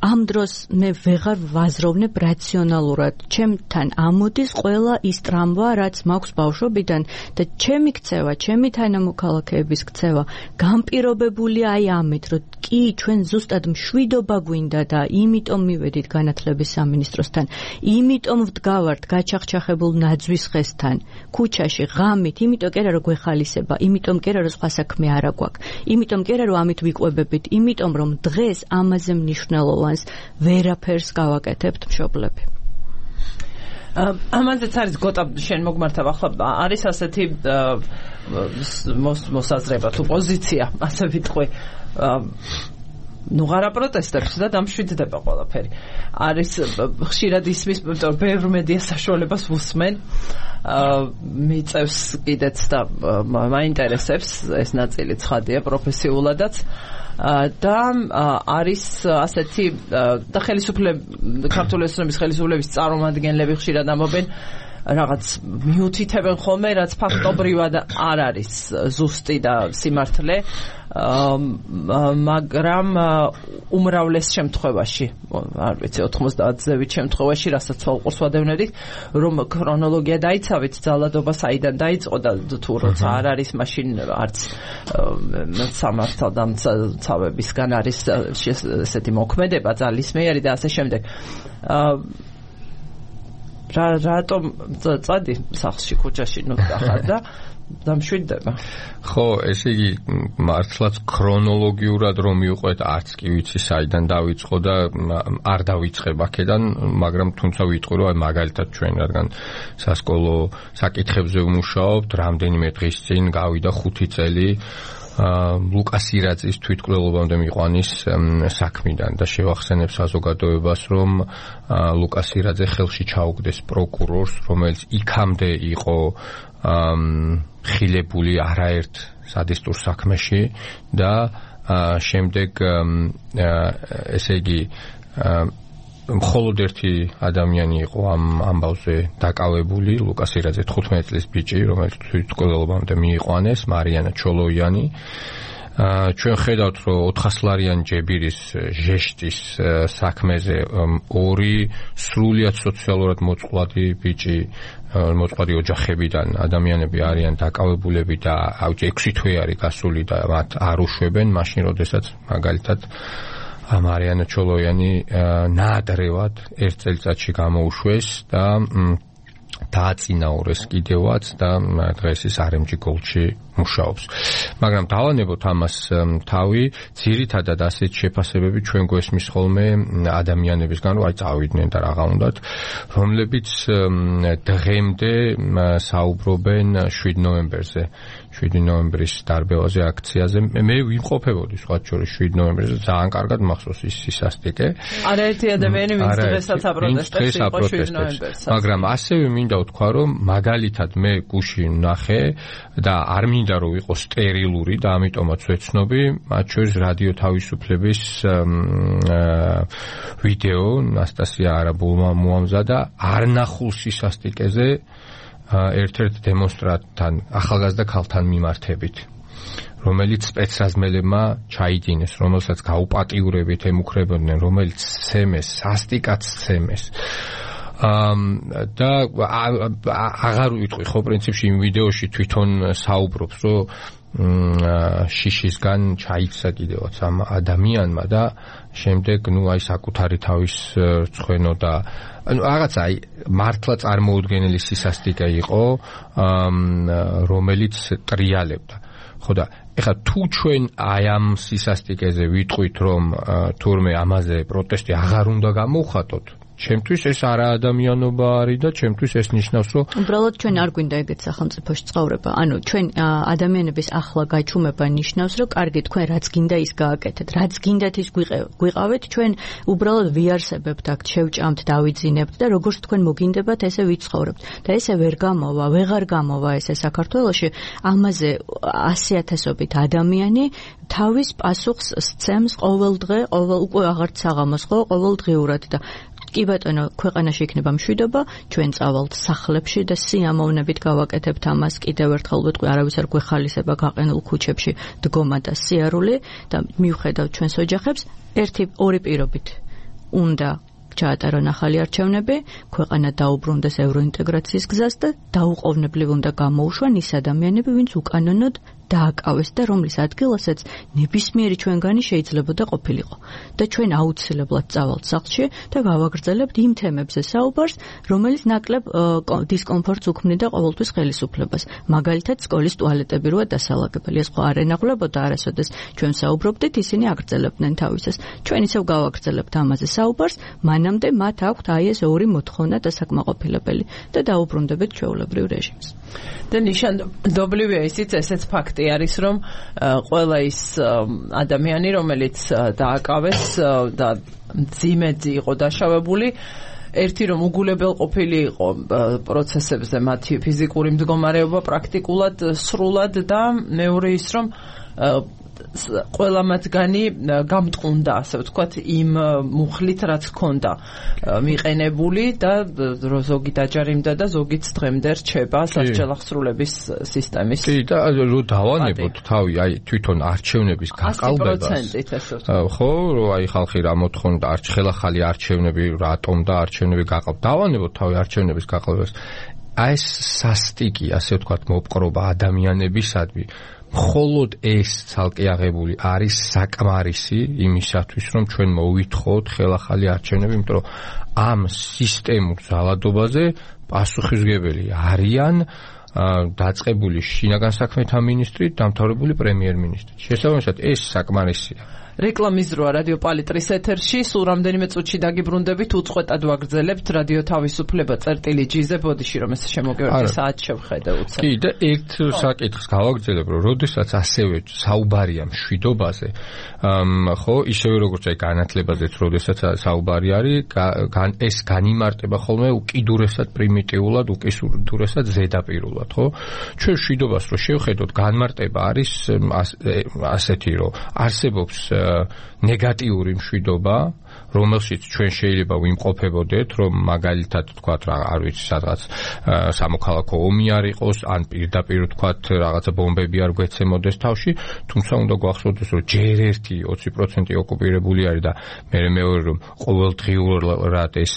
ამ დროს მე ვეღარ ვაზროვნებ რაციონალურად. ჩემთან ამოდის ყველა ის ტრამვა, რაც მაქვს ბავშვობიდან და ჩემი ქცევა, ჩემი თანამოქალაქეების ქცევა განპირობებულია აი ამით, რომ კი ჩვენ ზუსტად მშვიდობა გვინდა და იმიტომ მივედით განათლების სამინისტროსთან, იმიტომ ვდგავართ გაჩახჩახებულ ნაძვის ხესთან, ქუჩაში ღამით, იმიტომ კი არა რომ გვეხალისება, იმიტომ კი არა რომ სხვა საქმე არ აქვს, იმიტომ კი არა რომ ამით ვიყვებებით, იმიტომ რომ დღეს ამაზე მნიშვნელოვანს ვერაფერს გავაკეთებთ მშობლები. ამაზეც არის გოტა შენ მოგმართავ ახლა არის ასეთი მოსაზრება თუ პოზიცია ასე ვიტყვი ნუღარა პროტესტებს და დამშვიდდება ყველაფერი. არის ხშირად ისმის ბევრ მედია საშუალებას ვუსმენ მიწევს კიდეც და მაინტერესებს ეს ნაწილი ცხადია პროფესიულადაც და არის ასეთი და ქართული ოცნების ხელისუფლების წარმომადგენლები ხშირად ამბობენ რაღაც მიუთითებენ ხოლმე რაც ფაქტობრივად არ არის ზუსტი და სიმართლე მაგრამ უმრავლეს შემთხვევაში არ ვიცი 90%-ით შემთხვევაში რასაც უყურს ვადევნებდით რომ ქრონოლოგია დაიცავით ძალადობა საიდან დაიწყო და თუ როცა არ არის მაშინ არც სამართალდამცავებისგან არის ესეთი მოქმედება ძალისმიერი და ასე შემდეგ რატომ წადი სახლში ქუჩაში ნუ ახალ და დამშვიდდება. ხო, ესე იგი მართლაც ქრონოლოგიურად რომ მივყვეთ, არც კი ვიცი საიდან დაიწყო და არ დავიწყებ აქედან, მაგრამ თუმცა ვიტყვი რომ აი მაგალითად ჩვენ რადგან სასკოლო საკითხებზე ვმუშაობთ, რამდენიმე დღის წინ გავიდა 5 წელი ლუკას ირაძის თვითმკვლელობამდე მიყვანის საქმიდან და შევახსენებ საზოგადოებას რომ ლუკას ირაძე ხელში ჩაუგდეს პროკურორს რომელიც იქამდე იყო ხილებული არაერთ სადისტურ საქმეში და შემდეგ ესე იგი მხოლოდ ერთი ადამიანი იყო ამ ამბავზე დაკავებული ლუკას ირაძე 15 წლის ბიჭი რომელიც თვითმკვლელობამდე მიიყვანეს მარიანა ჩოლოიანი ჩვენ ხედავთ რომ 400 ლარიან ჯებირის ჟეშტის საქმეზე ორი სრულიად სოციალურად მოწყვლადი ბიჭი მოწყვლადი ოჯახებიდან ადამიანები არიან დაკავებულები და 6 თვე არის გასული და მათ არ უშვებენ მაშინ როდესაც მაგალითად მარიანა ჩოლოიანი ნაადრევად ერთ წელიწადში გამოუშვეს და დააწინაურეს კიდევაც და დღეს ის RMG Gold-ში მუშაობს. მაგრამ დავანებოთ ამას თავი, ძირითადად ასეთ შეფასებები ჩვენ გვესმის ხოლმე ადამიანებისგან, რომ აი წავიდნენ და რაღა უნდათ, რომლებიც დღემდე საუბრობენ 7 ნოემბერზე. 7 ნოემბრის დარბევაზე აქციაზე მე ვიმყოფებოდი სხვა შორის 7 ნოემბერზე ძალიან კარგად მახსოვს ის სისასტიკე. არაერთი ადამიანი ვინც დღესაც აპროტესტებს იყო 7 ნოემბერს. მაგრამ ასევე მინდა ვთქვა რომ მაგალითად მე გუში ვნახე და არ მინდა რომ იყო სტერილური და ამიტომაც ვეცნობი მათ შორის რადიო თავისუფლების ვიდეო ნასტასია არაბულმა მოამზადა არნახულ სისასტიკეზე ერთ-ერთ დემონსტრანტთან ახალგაზრდა ქალთან მიმართებით რომელიც სპეცრაზმელებმა ჩაიდინეს რომელსაც გაუპატიურებით ემუქრებოდნენ რომელიც ცემეს სასტიკად ცემეს და აღარ ვიტყვი ხო პრინციპში იმ ვიდეოში თვითონ საუბრობს რომ შიშისგან ჩაიქცა კიდევაც ამ ადამიანმა და შემდეგ ნუ აი საკუთარი თავის რცხვენო და ანუ რაღაცა აი მართლა წარმოუდგენელი სისასტიკე იყო რომელიც ტრიალებდა ხო და ეხლა თუ ჩვენ აი ამ სისასტიკეზე ვიტყვით რომ თურმე ამაზე პროტესტი აღარ უნდა გამოვხატოთ ჩემთვის ეს არა ადამიანობა არის და ჩემთვის ეს ნიშნავს რომ უბრალოდ ჩვენ არ გვინდა ეგეთ სახელმწიფოში ცხოვრება. ანუ ჩვენ ადამიანების ახლა გაჩუმება ნიშნავს რომ კარგი თქვენ რაც გინდა ის გააკეთეთ. რაც გინდათ ის გვიყავით ჩვენ უბრალოდ ვიარსებებთ აქ შევჭამთ დავიძინებთ და როგორც თქვენ მოგინდებათ ესე ვიცხოვრებთ. და ესე ვეღარ გამოვა ესე საქართველოში ამაზე 100,000-ობით ადამიანი თავის პასუხს სცემს ყოველ დღე, უკვე აღარც საღამოს ხო ყოველდღიურად და კი ბატონო, ქვეყანაში იქნება მშვიდობა, ჩვენ წავალთ სახლებში და სიამოვნებით გავაკეთებთ ამას, კიდევ ერთხელ ვიტყვი, არავის არ გვეხალისება გაყენულ ქუჩებში დგომა და სიარული და მივხედავთ ჩვენს ოჯახებს, ერთი-ორი პირობით უნდა ჩაატარონ ახალი არჩევნები, ქვეყანა დაუბრუნდეს ევროინტეგრაციის გზას და დაუყოვნებლივ უნდა გამოუშვან ის ადამიანები, ვინც უკანონოდ დააკავეს და რომლის ადგილასაც ნებისმიერი ჩვენგანი შეიძლებოდა ყოფილიყო. და ჩვენ აუცილებლად წავალთ სახლში და გავაგრძელებთ იმ თემებზე საუბარს, რომელიც ნაკლებ დისკომფორტს უქმნიდა ყოველთვის ხელისუფლებას. მაგალითად, სკოლის ტუალეტები როა დასალაგებელი. ეს ხო არ ენახულებოდა არასოდეს ჩვენ საუბრობდით, ისინი აგრძელებდნენ თავისას. ჩვენ ისევ გავაგრძელებთ ამაზე საუბარს, მანამდე მათ აქვთ აი ეს ორი მოთხოვნა დასაკმაყოფილებელი და დაუბრუნდებით ჩვეულებრივ რეჟიმს. და ნიშანდობლივია ისიც ესეც ფაქტი არის, რომ ყველა ის ადამიანი, რომელიც დააკავეს და ძიმეძი იყო დაშავებული, ერთი რომ უგულებელ ყოფილი იყო პროცესებზე მათი ფიზიკური მდგომარეობა პრაქტიკულად სრულად და მეორე ის რომ ყველა მათგანი გამტყუნდა, ასე ვთქვათ, იმ მუხლით, რაც ჰქონდა მიყენებული და ზოგი დაჯარიმდა და ზოგიც დღემდე რჩება სასჯელახსრულების სისტემის. კი, და რო დავანებოთ თავი, აი თვითონ არჩევნების გაყალბებას. 100%-ით ასე ვთქვათ. ხო, რომ აი ხალხი რა მოთხოვდა, ხელახალი არჩევნები, რატომ და არჩევნები გაყალბდა. დავანებოთ თავი არჩევნების გაყალბებას. აი ეს სასტიკი, ასე ვთქვათ, მოპყრობა ადამიანებისადმი მხოლოდ ეს ცალკე აღებული არის საკმარისი იმისათვის, რომ ჩვენ მოვითხოვოთ ხელახალი არჩევნები, იმიტომ რომ ამ სისტემურ ძალადობაზე პასუხისმგებელი არიან დაწყებული შინაგან საქმეთა მინისტრი, დამთავრებული პრემიერ-მინისტრი. შესაბამისად, ეს საკმარისია. რეკლამის დროა რადიო პალიტრის ეთერში, სულ რამდენიმე წუთში დაგიბრუნდებით, უწყვეტად ვაგრძელებთ რადიო თავისუფლება წერტილი-G-ზე, ბოდიში რომ ეს შემოგევარდი საათს შევხედე უცებ. კი, და ერთ საკითხს გავაგრძელებ, რომ როდესაც ასევე საუბარია მშვიდობაზე, ხო, ისევე როგორც აი განათლებაზეც, როდესაც საუბარი არის, ეს განიმარტება ხოლმე უკიდურესად პრიმიტიულად, უკიდურესად ზედაპირულად, ხო? ჩვენ მშვიდობას რო შევხედოთ, განმარტება არის ასეთი, რომ არსებობს ნეგატიური მშვიდობა, რომელშიც ჩვენ შეიძლება ვიმყოფებოდეთ, რომ მაგალითად თქვათ რა არ ვიცი სადღაც სამოქალაქო ომი არ იყოს, ან პირდაპირ თქვათ რაღაცა ბომბები არ გვეცემოდეს თავში, თუმცა უნდა გვახსოვდეს, რომ ჯერ ერთი 20% ოკუპირებული არის და მეორე რომ ყოველდღიურად ეს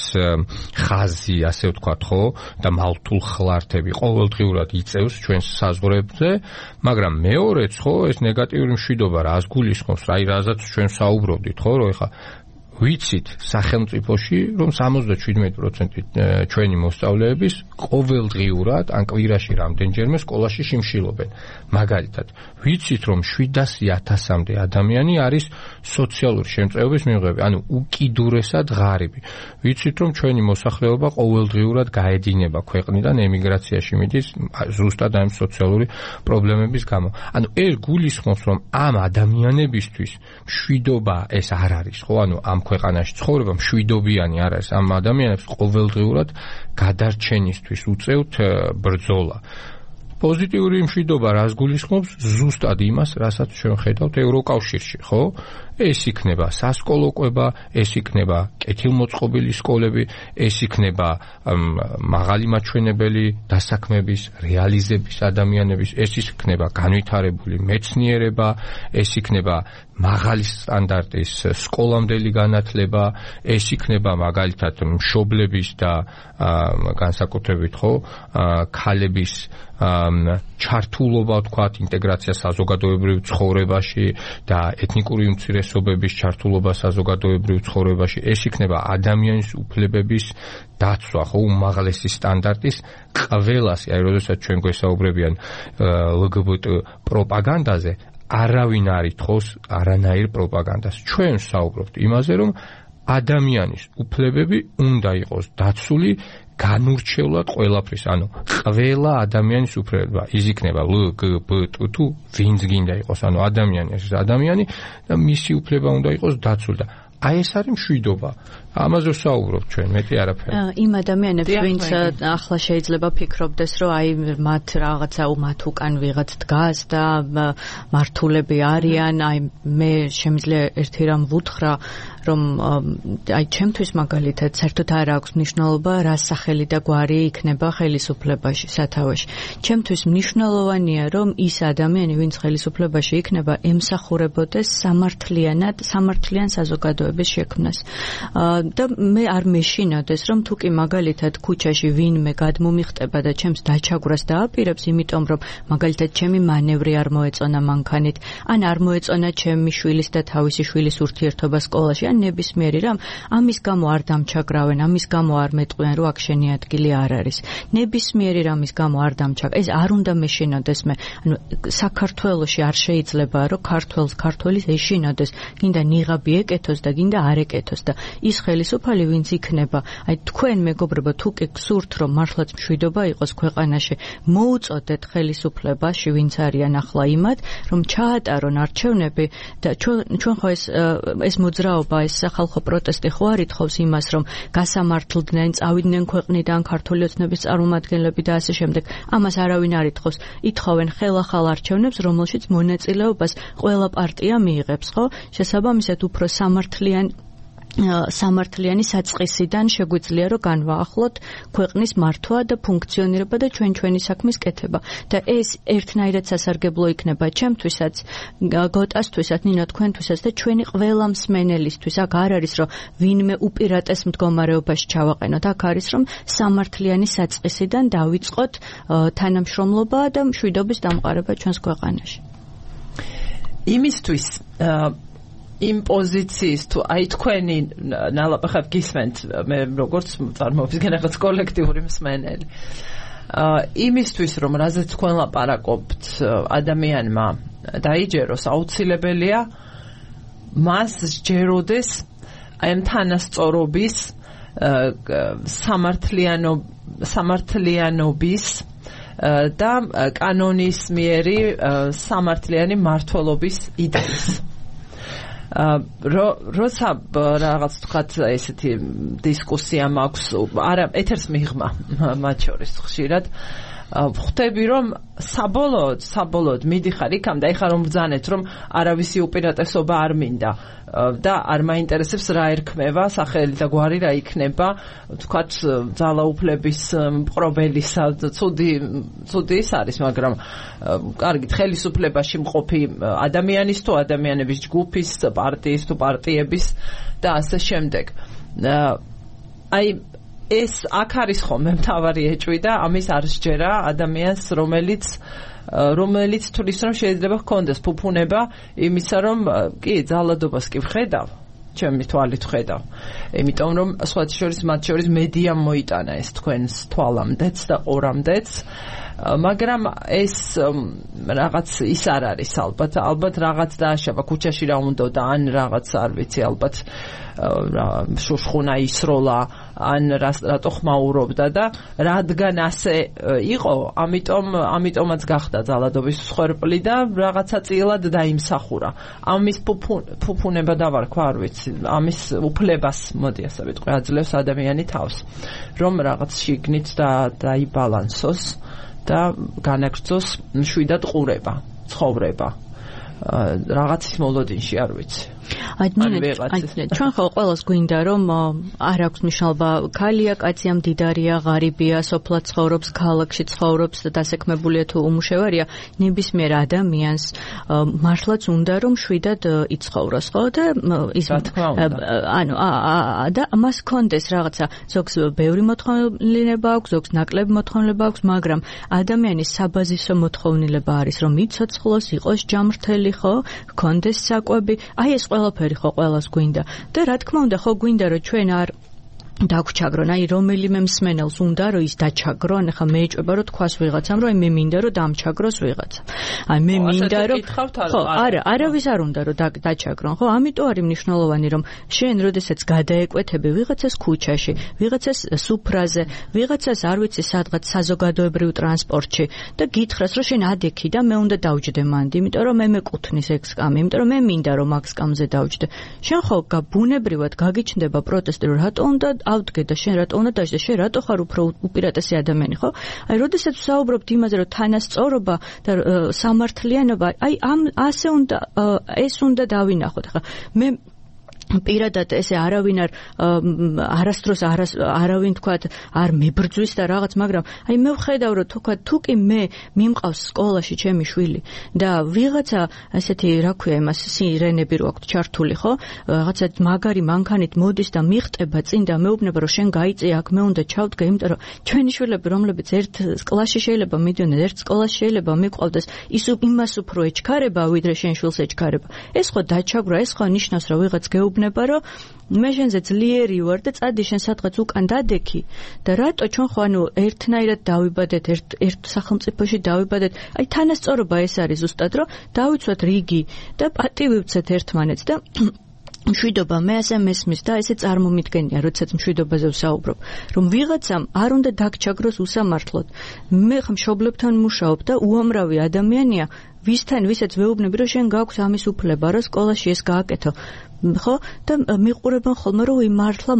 ხაზი, ასე ვთქვათ, ხო, და მალთულ ხლართები ყოველდღიურად იწევს ჩვენს საზღვრებზე, მაგრამ მეორეც, ხო, ეს ნეგატიური მშვიდობა რას გულისხმობს, აი რაზეც ჩვენ საუბრობდით, ხო, რომ ეხა ვიცით სახელმწიფოში, რომ 77% ჩვენი მოსწავლეების ყოველდღიურად ან კვირაში რამდენჯერმე სკოლაში შიმშილობენ. მაგალითად, ვიცით, რომ 700,000-მდე ადამიანი არის სოციალური შემწეობის მიღებები, ანუ უკიდურესად ღარიბი. ვიცით, რომ ჩვენი მოსახლეობა ყოველდღიურად გაედინება ქვეყნიდან, ემიგრაციაში მიდის ზუსტად ამ სოციალური პრობლემების გამო. ანუ ეს გულისხმობს, რომ ამ ადამიანებისთვის მშვიდობა ეს არ არის, ხო, ანუ ამ ქვეყანაში ცხოვრება მშვიდობიანი არ არის. ამ ადამიანებს ყოველდღიურად გადარჩენისთვის უწევთ ბრძოლა. პოზიტიური მშვიდობა რას გულისხმობს? ზუსტად იმას, რასაც ჩვენ ხედავთ ევროკავშირში, ხო? ეს იქნება სასკოლო კვება, ეს იქნება კეთილმოწყობილი სკოლები, ეს იქნება მაღალი მაჩვენებელი დასაქმების, რეალიზების ადამიანების, ეს იქნება განვითარებული მეცნიერება, ეს იქნება მაღალი სტანდარტის სკოლამდელი განათლება, ეს იქნება მაგალითად მშობლების და განსაკუთრებით, ხო, ქალების ჩართულობა, თქვათ, ინტეგრაცია საზოგადოებრივ ცხოვრებაში და ეთნიკური უმცირესობების ჩართულობა საზოგადოებრივ ცხოვრებაში, ეს იქნება ადამიანის უფლებების დაცვა, ხო, უმაღლესი სტანდარტის ყველას, აი, როდესაც ჩვენ გვესაუბრებიან LGBT პროპაგანდაზე, არავინ არ ითხოვს არანაირ პროპაგანდას. ჩვენ საუბრობთ იმაზე, რომ ადამიანის უფლებები უნდა იყოს დაცული განურჩევლად ყველაფრის, ანუ ყველა ადამიანის უფლება, ის იქნება LGBT თუ ვინც გინდა იყოს, ანუ ადამიანი ეს ადამიანი და მისი უფლება უნდა იყოს დაცული და აი ეს არის მშვიდობა. ამაზე ვსაუბრობ ჩვენ, მეტი არაფერი. იმ ადამიანებს, ვინც ახლა შეიძლება ფიქრობდეს, რომ აი მათ რაღაცა მათ უკან ვიღაც დგას და მართულები არიან, აი მე შემიძლია ერთი რამ ვუთხრა, რომ აი ჩემთვის მაგალითად საერთოდ არ აქვს მნიშვნელობა რა სახელი და გვარი იქნება ხელისუფლებაში, სათავეში. ჩემთვის მნიშვნელოვანია რომ ის ადამიანი, ვინც ხელისუფლებაში იქნება, ემსახურებოდეს სამართლიან საზოგადოების შექმნას. და მე არ მეშინოდეს რომ თუ კი მაგალითად ქუჩაში ვინმე გადმომიხტება და ჩემს დაჩაგვრას დააპირებს, იმიტომ რომ მაგალითად ჩემი მანევრი არ მოეწონა მანქანით, ან არ მოეწონა ჩემი შვილის და თავისი შვილის ურთიერთობა სკოლაში, ან ნებისმიერი რამ, ამის გამო არ დამჩაგრავენ, ამის გამო არ მეტყვიან, რომ აქ შენი ადგილი არ არის. ნებისმიერი რამის გამო არ დამჩაგრ. ეს არ უნდა მეშინოდეს მე. ანუ საქართველოში არ შეიძლება რომ ქართველის ეშინოდეს, გინდა ნიღაბი ეკეთოს და გინდა არ ეკეთოს და ის ხელისუფალი ვინც იქნება, აი თქვენ მეგობრებო, თუ კი გსურთ რომ მართლაც მშვიდობა იყოს ქვეყანაში, მოუწოდეთ ხელისუფლებაში ვინც არიან ახლა იმად, რომ ჩაატარონ არჩევნები და ჩვენ ხო ეს მოძრაობა, ეს სახალხო პროტესტი ხო არ ითხოვს იმას, რომ გასამართლდნენ, წავიდნენ ქვეყნიდან ქართული ოცნების წარმომადგენლები და ასე შემდეგ. ამას არავინ არ ითხოვს. ითხოვენ ხელახალ არჩევნებს, რომელშიც მონაწილეობას ყველა პარტია მიიღებს, ხო? შესაბამისად უფრო სამართლიანი საწყისიდან შეგვიძლია რომ განვაახლოთ ქვეყნის მართვა და ფუნქციონირება და ჩვენი საქმის კეთება. და ეს ერთნაირად სასარგებლო იქნება ჩემთვისაც, გოტასთვისაც, ნინო თქვენთვისაც და ჩვენი ყველა მსმენელისთვის. აქ არ არის რომ ვინმე უპირატეს მდგომარეობაში ჩავაყენოთ. აქ არის რომ სამართლიანი საწყისიდან დავიწყოთ თანამშრომლობა და მშვიდობის დამყარება ჩვენს ქვეყანაში. იმისთვის იმ პოზიციის თუ აი თქვენი ნალაპახად გისმენთ, მე როგორც წარმოუდგენ რაღაც კოლექტიური მსმენელი. იმისთვის რომ რაზეც თქვენ ლაპარაკობთ ადამიანმა დაიჯეროს, აუცილებელია მას სჯეროდეს აი ამ თანასწორობის სამართლიანობის და კანონისმიერი სამართლიანი მართლობის იდეის. როცა რაღაც თქვათ ესეთი დისკუსია მაქვს, არა ეთერს მიღმა მათ შორის ხშირად ხვდები რომ საბოლოოდ მიდიხარ იქამ და ეხლა რომ ბრძანეთ რომ არავისი უპირატესობა არ მინდა და არ მაინტერესებს რა ერქმევა, სახელი და გვარი რა იქნება, თქვათ ძალაუფლების მპყრობელისა, ცუდი ის არის, მაგრამ კარგით, ხელისუფლებაში მყოფი ადამიანის თუ ადამიანების ჯგუფის, პარტიის თუ პარტიების და ასე შემდეგ. აი ეს აქ არის ხოლმე მთავარი ეჭვი და ამის არ სჯერა ადამიანს, რომელიც თulis რომ შეიძლება ჰქონდეს ფუფუნება იმისა, რომ კი ძალადობას კი ვხედავ, ჩემი თვალით ვხედავ. იმიტომ რომ მათ შორის მედიამ მოიტანა ეს თქვენს თვალამდეც და ყურამდეც, მაგრამ ეს რაღაც ის არ არის ალბათ რაღაც დააშავა ქუჩაში რა უნდა და ან რაღაც არ ვიცი ალბათ შუშხუნა ისროლა ან რატო ხმაურობდა და რადგან ასე იყო, ამიტომაც გახდა ძალადობის მსხვერპლი და რაღაცა წილად დაიმსახურა. ამის ფუფუნება დავარქვა, არ ვიცი, ამის უფლებას მოდი ასე ვიტყვი, აძლევს ადამიანი თავს, რომ რაღაც შიგნით დაიბალანსოს და განაგრძოს მშვიდად ყურება, ცხოვრება. რაღაცის მოლოდინში, არ ვიცი. ჩვენ ხო ყველას გვინდა რომ არ აქვს მნიშვნელობა ქალია, კაცია, მდიდარია, ღარიბია, სოფლად ცხოვრობს, ქალაქში ცხოვრობს და დასაქმებულია თუ უმუშევარია, ნებისმიერ ადამიანს მართლაც უნდა რომ შვიდად იცხოვროს, ხო? და ის ანუ და მას კონდეს რაღაცა, ზოგს ბევრი მოთხოვნილება აქვს, ზოგს ნაკლები მოთხოვნილება აქვს, მაგრამ ადამიანის საბაზისო მოთხოვნილება არის რომ იცოცხლოს, იყოს ჯამრთელი, ხო? კონდეს საკვები, აი ეს ყველაფერი ხო ყველას გვინდა და რა თქმა უნდა ხო გვინდა რომ ჩვენ არ დაგვჩაგრონ, აი რომელიმე მსმენელს უნდა რომ ის დაჩაგრონ, ახლა მე ეჭვება რომ თქვას ვიღაცამ რომ მე მინდა რომ დამჩაგროს ვიღაცა. აი მე მინდა რომ ხო არავის არ უნდა რომ დაჩაგრონ, ხო? ამიტომ არის მნიშვნელოვანი რომ შენ როდესაც გადაეკვეთები ვიღაცას ქუჩაში, ვიღაცას სუფრაზე, ვიღაცას არ ვიცი სადღაც საზოგადოებრივ ტრანსპორტში და გითხრას რომ შენ ადექი და მე უნდა დავჯდე მანდ, იმიტომ რომ მე მეკუთვნის ეგ სკამი, იმიტომ რომ მე მინდა რომ აქ სკამზე დავჯდე. შენ ხო ბუნებრივად გაგიჩნდება პროტესტი, რომ რატო უნდა ავდგე და შენ რატო უნდა დაждე, შენ რატო ხარ უფრო უპირატესი ადამიანი, ხო? აი, როდესაც ვსაუბრობთ იმაზე, რომ თანასწორობა და სამართლიანობა, აი ამ ასე უნდა ეს უნდა დავინახოთ. ხა მე პირადად ესე არავინ არასდროს არავინ თქვათ არ მებრძვის და რაღაც, მაგრამ აი მე ვხედავ რომ თუ კი მე მიმყავს სკოლაში ჩემი შვილი და ვიღაცა ესეთი რა ქვია იმას სირენები რო აქვს ჩართული ხო რაღაცა მაგარი მანქანით მოდის და მიხტება წინ და მეუბნება რომ შენ გაიწე აქ მე უნდა ჩავდგე იმიტომ რომ ჩვენი შვილები რომლებიც ერთ კლასში შეიძლება მიდიოდნენ ერთ სკოლაში შეიძლება მიყვავდეს ის იმას უფრო ეჩქარება ვიდრე შენ შვილს ეჩქარება ეს ხო დაჩაგვრა ეს ხო ნიშნავს რომ ვიღაც გეუბნება რომ მე შენზე ძლიერი ვარ და წადი შენ სადღაც უკან დადექი და რატო ჩვენ ხო ანუ ერთნაირად დავიბადეთ ერთ სახელმწიფოში დავიბადეთ აი თანასწორობა ეს არის ზუსტად რომ დავიცვათ რიგი და პატივი ვცეთ ერთმანეთს და მშვიდობა მე ასე მესმის და ესე წარმომიდგენია როდესაც მშვიდობაზე ვსაუბრობ რომ ვიღაცამ არ უნდა დაგჩაგროს უსამართლოდ მე მშობლებთან მუშაობ და უამრავი ადამიანია ვისაც ვეუბნები რომ შენ გაქვს ამის უფლება რომ სკოლაში ეს გააკეთო ხო და მიყურებენ ხოლმე რომ მართლა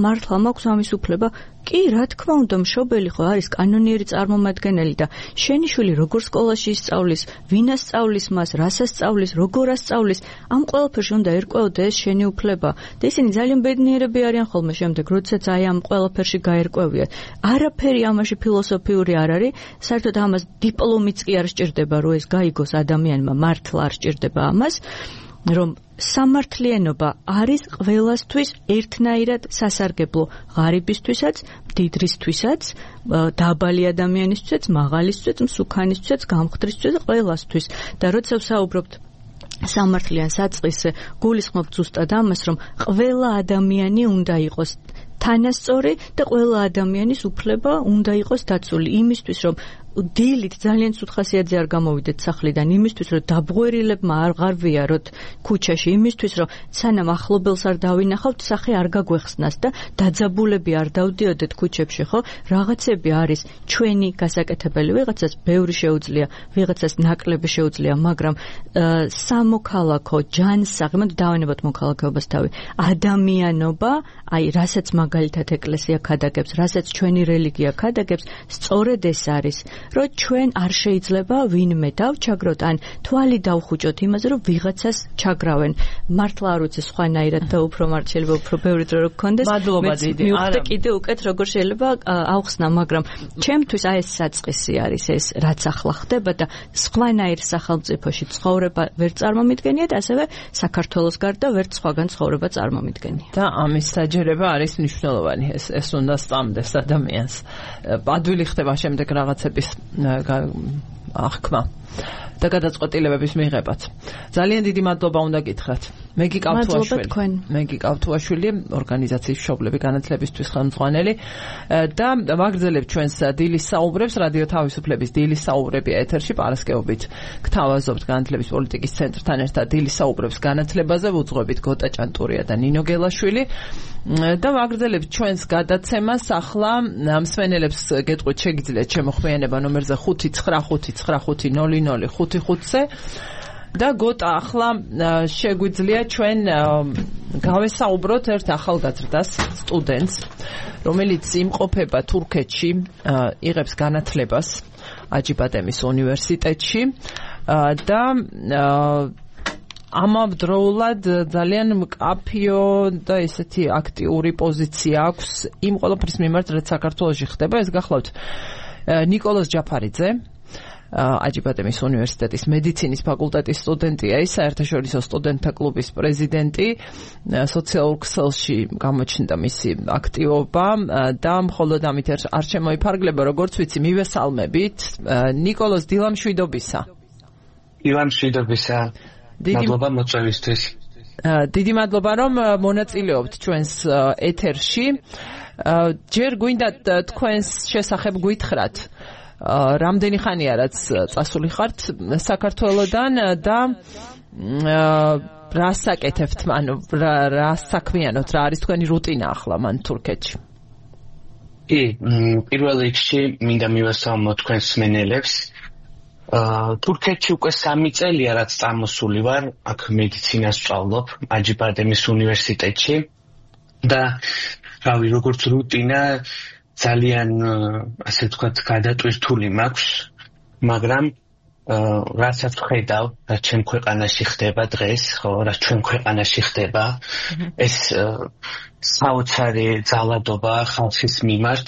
მაქვს ამის უფლება კი რა თქმა უნდა მშობელი ხო არის კანონიერი წარმომადგენელი და შენი შვილი როგორ სკოლაში ისწავლის ვინას სწავლის მას რასას სწავლის როგორ ასწავლის ამ ყველაფერში უნდა ერკვეოდეს შენი უფლება და ისინი ძალიან ბედნიერები არიან ხოლმე შემდეგ როდესაც აი ამ ყველაფერში გაერკვევიათ არაფერი ამაში ფილოსოფიური არ არის საერთოდ ამას დიპლომიც კი არ სჭირდება რომ ეს გაიგოს ადამიანმა მართლა არ სჭირდება ამას რომ სამართლიანობა არის ყველასთვის ერთნაირად სასარგებლო ღარიბისთვისაც, მდიდრისთვისაც, დაბალი ადამიანისთვისაც, მაღალისთვისაც, მსუქანისთვისაც, გამხდრისთვისაც, ყველასთვის. და როცა ვსაუბრობთ სამართლიან საწყისზე, გულისხმობთ ზუსტად ამას, რომ ყველა ადამიანი უნდა იყოს თანასწორი და ყველა ადამიანის უფლება უნდა იყოს დაცული იმისთვის, რომ დილით ძალიან ცუთხასიათზე არ გამოვიდეთ სახლიდან იმისთვის, რომ დაბღვერილებმა არ ღარვიაროთ ქუჩაში, იმისთვის, რომ სანამ ახლობელს არ დავინახავთ, სახე არ გაგვეხსნას და დაძაბულები არ დავდიოდეთ ქუჩებში, ხო? რაღაცები არის ჩვენი გასაკეთებელი, ვიღაცას ბევრი შეუძლია, ვიღაცას ნაკლები შეუძლია, მაგრამ სამოქალაქო ჯანსაღი, მოდ დავანებოთ მოქალაქეობას თავი, ადამიანობა, აი, რასაც მაგალითად ეკლესია ქადაგებს, რასაც ჩვენი რელიგია ქადაგებს, სწორედ ეს არის. რომ ჩვენ არ შეიძლება ვინმე დავჩაგროთ ან თვალი დავხუჭოთ იმაზე რომ ვიღაცას ჩაგრავენ მართლა არ ვიცი სხვანაირად და უფრო მართლობა უფრო ბევრი დრო რო გქონდეს მადლობა დიდი არა კიდე უკეთ როგორ შეიძლება ავხსნა მაგრამ ჩემთვის აი ეს საწყისი არის ეს რაც ახლა ხდება და სხვანაირ სახელმწიფოში ცხოვრება ვერ წარმომიდგენიათ ასევე საქართველოს გარდა ვერ სხვაგან ცხოვრება წარმომიდგენია და ამის საჯერება არის მნიშვნელოვანი ეს უნდა სწამდეს ადამიანს ადვილი ხდება შემდეგ რაღაცების ახკმა და გადაწყვეტილებების მიღებაც. ძალიან დიდი მადლობა უნდა გითხრათ. მე გიყავთ თუაშვილი, ორგანიზაციის მშობლები განათლებისთვის ხელმძღვანელი და ვაგრძელებთ ჩვენს დილის საუბრებს, რადიო თავისუფლების დილის საუბრები ეთერში პარასკევობით. გთავაზობთ განათლების პოლიტიკის ცენტრთან ერთად დილის საუბრებს განათლებაზე, ვუძღვებით გოტა ჭანტურია და ნინო გელაშვილი. და ვაგრძელებთ ჩვენს გადაცემას ახლა მსმენელებს გეტყვით შეგიძლიათ შემოხვიანება ნომერზე 595550055-ზე და გოტა ახლა შეგვიძლია ჩვენ გავესაუბროთ ერთ ახალგაზრდას სტუდენტს რომელიც იმყოფება თურქეთში იღებს განათლებას აჯიბადემის უნივერსიტეტში და ამავდროულად ძალიან მკაფიო და ესეთი აქტიური პოზიცია აქვს იმ ყველაფრის მიმართ, რაც საქართველოში ხდება. ეს გახლავთ ნიკოლოზ ჯაფარიძე, აჯიბადემის უნივერსიტეტის მედიცინის ფაკულტეტის სტუდენტია, ის საერთაშორისო სტუდენტთა კლუბის პრეზიდენტი, სოციალურ ქსელში გამოჩნდა მისი აქტივობა და მხოლოდ ამით არ შემოიფარგლება, როგორც ვიცი, მივესალმებით. ნიკოლოზ, დილამშვიდობისა. დილამშვიდობისა. მადლობა მოწვევისთვის. დიდი მადლობა რომ მონაწილეობთ ჩვენს ეთერში. ჯერ გვინდა თქვენს შესახებ გითხრათ. რამდენი ხანია რაც წასული ხართ საქართველოდან და რას აკეთებთ, ანუ რა საქმიანობთ, რა არის თქვენი რუტინა ახლა მან თურქეთში? კი, პირველ რიგში მინდა მივესალმო თქვენს მსმენელებს. თურქეთში უკვე 3 წელია რაც წამოსული ვარ, აქ მედიცინას ვსწავლობ აჯიბადემის უნივერსიტეტში და რავი, როგორც რუტინა ძალიან ასე ვთქვათ გადატვირთული მაქვს, მაგრამ რასაც ხედავ, რაც ჩვენ ქვეყანაში ხდება დღეს, ხო, რაც ჩვენ ქვეყანაში ხდება, ეს საოცარი ძალადობა ხალხის მიმართ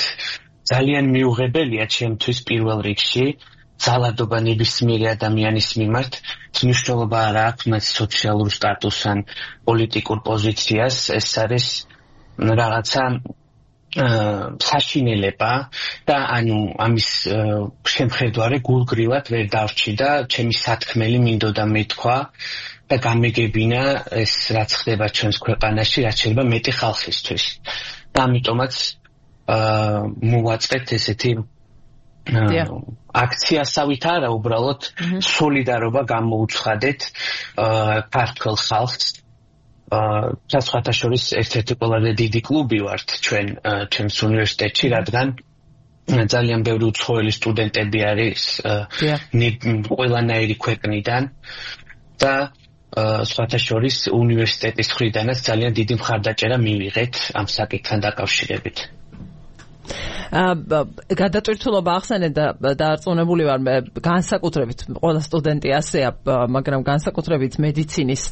ძალიან მიუღებელია ჩემთვის პირველ რიგში. ძალადობა ნებისმიერი ადამიანის მიმართ მნიშვნელობა არ აქვს მათ სოციალურ სტატუსს ან პოლიტიკურ პოზიციას, ეს არის რაღაცა საშინელება და ანუ ამის შემხედვარე გულგრივად ვერ დავრჩი და ჩემი სათქმელი მინდოდა მეთქვა და გამეგებინა ეს რაც ხდება ჩვენს ქვეყანაში, რაც შეიძლება მეტი ხალხისთვის. და ამიტომაც მოვაწყეთ ესეთი აქციასავით არა, უბრალოდ სოლიდარობა გამოუცხადეთ ქართულ ხალხს. სხვათა შორის ერთ-ერთი ყველაზე დიდი კლუბი ვართ ჩვენს უნივერსიტეტში, რადგან ძალიან ბევრი უცხოელი სტუდენტები არის ყველანაირი ქვეყნიდან და სხვათა შორის უნივერსიტეტის მხრიდანაც ძალიან დიდი მხარდაჭერა მივიღეთ ამ საკითხთან დაკავშირებით. გადატვირთულობა ახსენეთ და დარწმუნებული ვარ განსაკუთრებით ყველა სტუდენტი ასეა, მაგრამ განსაკუთრებით მედიცინის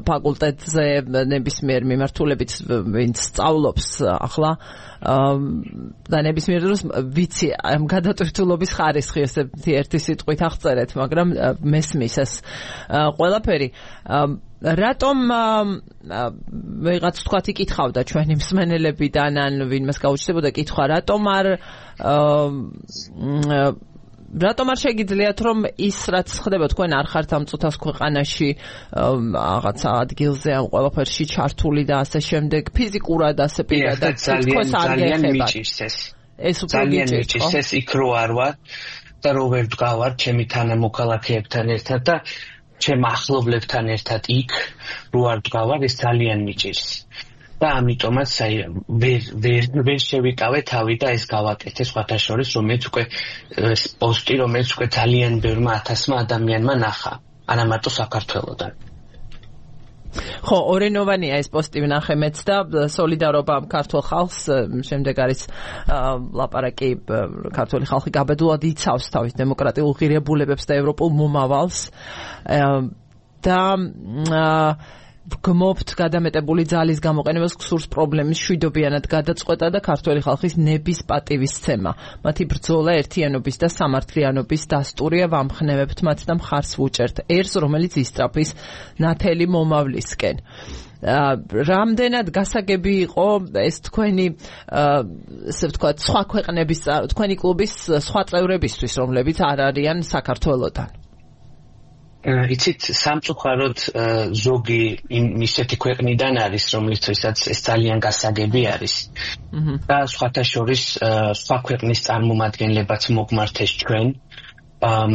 ფაკულტეტზე ნებისმიერ მიმართულებით ვინც სწავლობს ახლა და ნებისმიერ დროს ვიცი ამ გადატვირთულობის ხარისხი ესეთი ერთი სიტყვით აღწერეთ, მაგრამ მესმის ეს ყველაფერი. რატომ ვიღაც თქვათ იკითხავდა ჩვენი მსმენელებიდან ან ვინმეს გაუჩნდებოდა კითხვა, რატომ არ შეგიძლიათ რომ ის რაც ხდება თქვენ არ ხართ ამ წუთას ქვეყანაში რაღაცა ადგილზე ამ ყველაფერში ჩართული და ასე შემდეგ ფიზიკურად ასე პირადად თვითონ არ გეხებათ ეს ძალიან მიჭირს ეს იქ რო არ ვარ და რო ვერ ვდგავარ ჩემი თანამოქალაქეებთან ერთად და ჩემ ახლობლებთან ერთად იქ რო არ ვდგავარ ეს ძალიან მიჭირს და ამიტომაც ვერ შევიკავე თავი და ეს გავაკეთე სხვათა შორის რომელიც უკვე პოსტი რომელიც უკვე ძალიან ბევრმა ათასმა ადამიანმა ნახა არა მარტო საქართველოდან. ხო, ორენოვანია ეს პოსტი ვნახე მეც და სოლიდარობა ქართულ ხალხს შემდეგ არის ლაპარაკი ქართული ხალხი გაბედულად იცავს თავის დემოკრატიულ ღირებულებებს და ევროპულ მომავალს და გმობთ გადამეტებული ძალის გამოყენებას გსურს პრობლემის შვიდობიანად გადაწყვეტა და ქართველი ხალხის ნების პატივისცემა. მათი ბრძოლა ერთიანობის და სამართლიანობის დასტურია, ვამხნევებთ მათ და მხარს ვუჭერთ ერს, რომელიც ისწრაფვის ნათელი მომავლისკენ. რამდენად გასაგები იყო ეს თქვენი ესე ვთქვათ სხვა ქვეყნების თქვენი კლუბის სხვა წევრებისთვის, რომლებიც არ არიან საქართველოდან? იცით სამწუხაროდ ზოგი ისეთი ქვეყნიდან არის რომლითაც ეს ძალიან გასაგები არის და სხვათა შორის სხვა ქვეყნის წარმომადგენლებაც მოგმართეს ჩვენ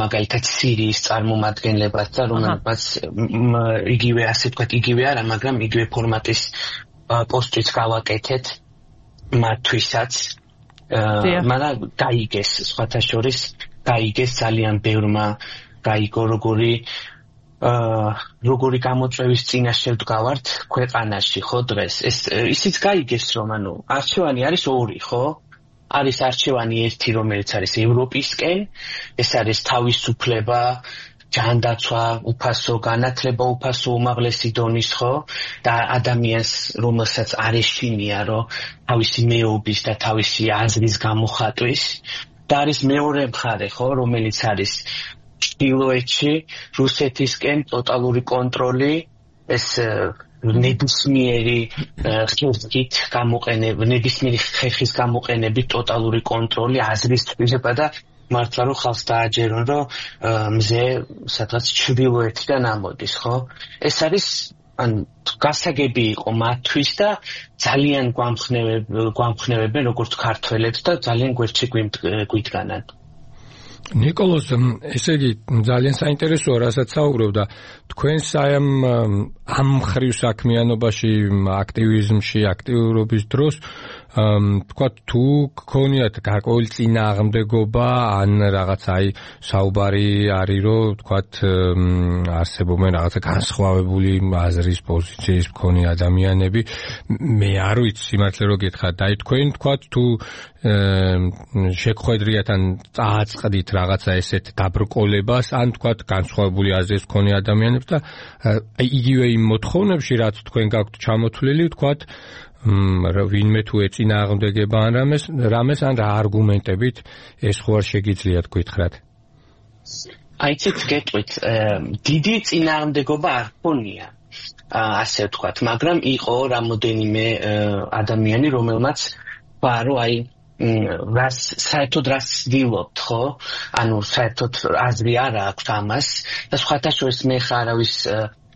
მაგალითად სირიის წარმომადგენლებაც და რომელსაც იგივე ასე ვთქვათ იგივე არა მაგრამ იგივე ფორმატის პოსტიც გავაკეთეთ მათთვისაც მაგრამ გაიგეს სხვათა შორის გაიგეს ძალიან ბევრმა გაიგო როგორი გამოწვევის წინაშე ვდგავართ ქვეყანაში ხო დღეს ეს ისიც გაიგეს რომ ანუ არჩევანი არის ორი ხო არის არჩევანი ერთი რომელიც არის ევროპისკენ ეს არის თავისუფლება ჯანდაცვა უფასო განათლება უფასო უმაღლესი დონის ხო და ადამიანს რომელსაც არ ეშინია რომ თავისი მეობის და თავისი აზრის გამოხატვის და არის მეორე მხარე ხო რომელიც არის ჩრდილოეთში რუსეთისკენ ტოტალური კონტროლი ეს ნებისმიერი ხერხით გამოყენება ნებისმიერი ხერხის გამოყენებით ტოტალური კონტროლი აზრის თბილება და მართლა რომ ხალხს დააჯერონ რომ მზე სადღაც ჩრდილოეთიდან ამოდის ხო ეს არის ან გასაგები იყო მათთვის და ძალიან გვამხნევებენ როგორც ქართველებს და ძალიან გვერდში გვიდგანან. ნიკოლოზ, ესე იგი ძალიან საინტერესოა, რასაც საუბრობ და თქვენს ამ მხრივ საქმიანობაში, აქტივიზმში, აქტიურობის დროს თქვა თუ გქონიათ გარკვეული წინააღმდეგობა ან რაღაც აი საუბარი არის რომ თქვა არსებობენ რაღაცა განსხვავებული აზრის პოზიციის მქონე ადამიანები მე არ ვიცი სიმართლე რომ გითხრათ აი თქვენ თქვა თუ შეგხვედრიათ ან წააწყდით რაღაცა ესეთ დაბრკოლებას ან თქვა განსხვავებული აზრის მქონე ადამიანებს და აი იგივე იმ მოთხოვნებში რაც თქვენ გაქვთ ჩამოთვლილი თქვა ვინმე თუ ეწინააღმდეგება ან რამეს ან რა არგუმენტებით ეს ხო არ შეგიძლიათ გითხრათ აი ცით გეტყვით დიდი წინააღმდეგობა არ ქონია ასე ვთქვათ მაგრამ იყო რამოდენიმე ადამიანი რომელმაც ბარო აი საერთოდ რას ვდილობთ ხო ანუ საერთოდ აზრი არ აქვს ამას და სხვათა შორის მე ხარავის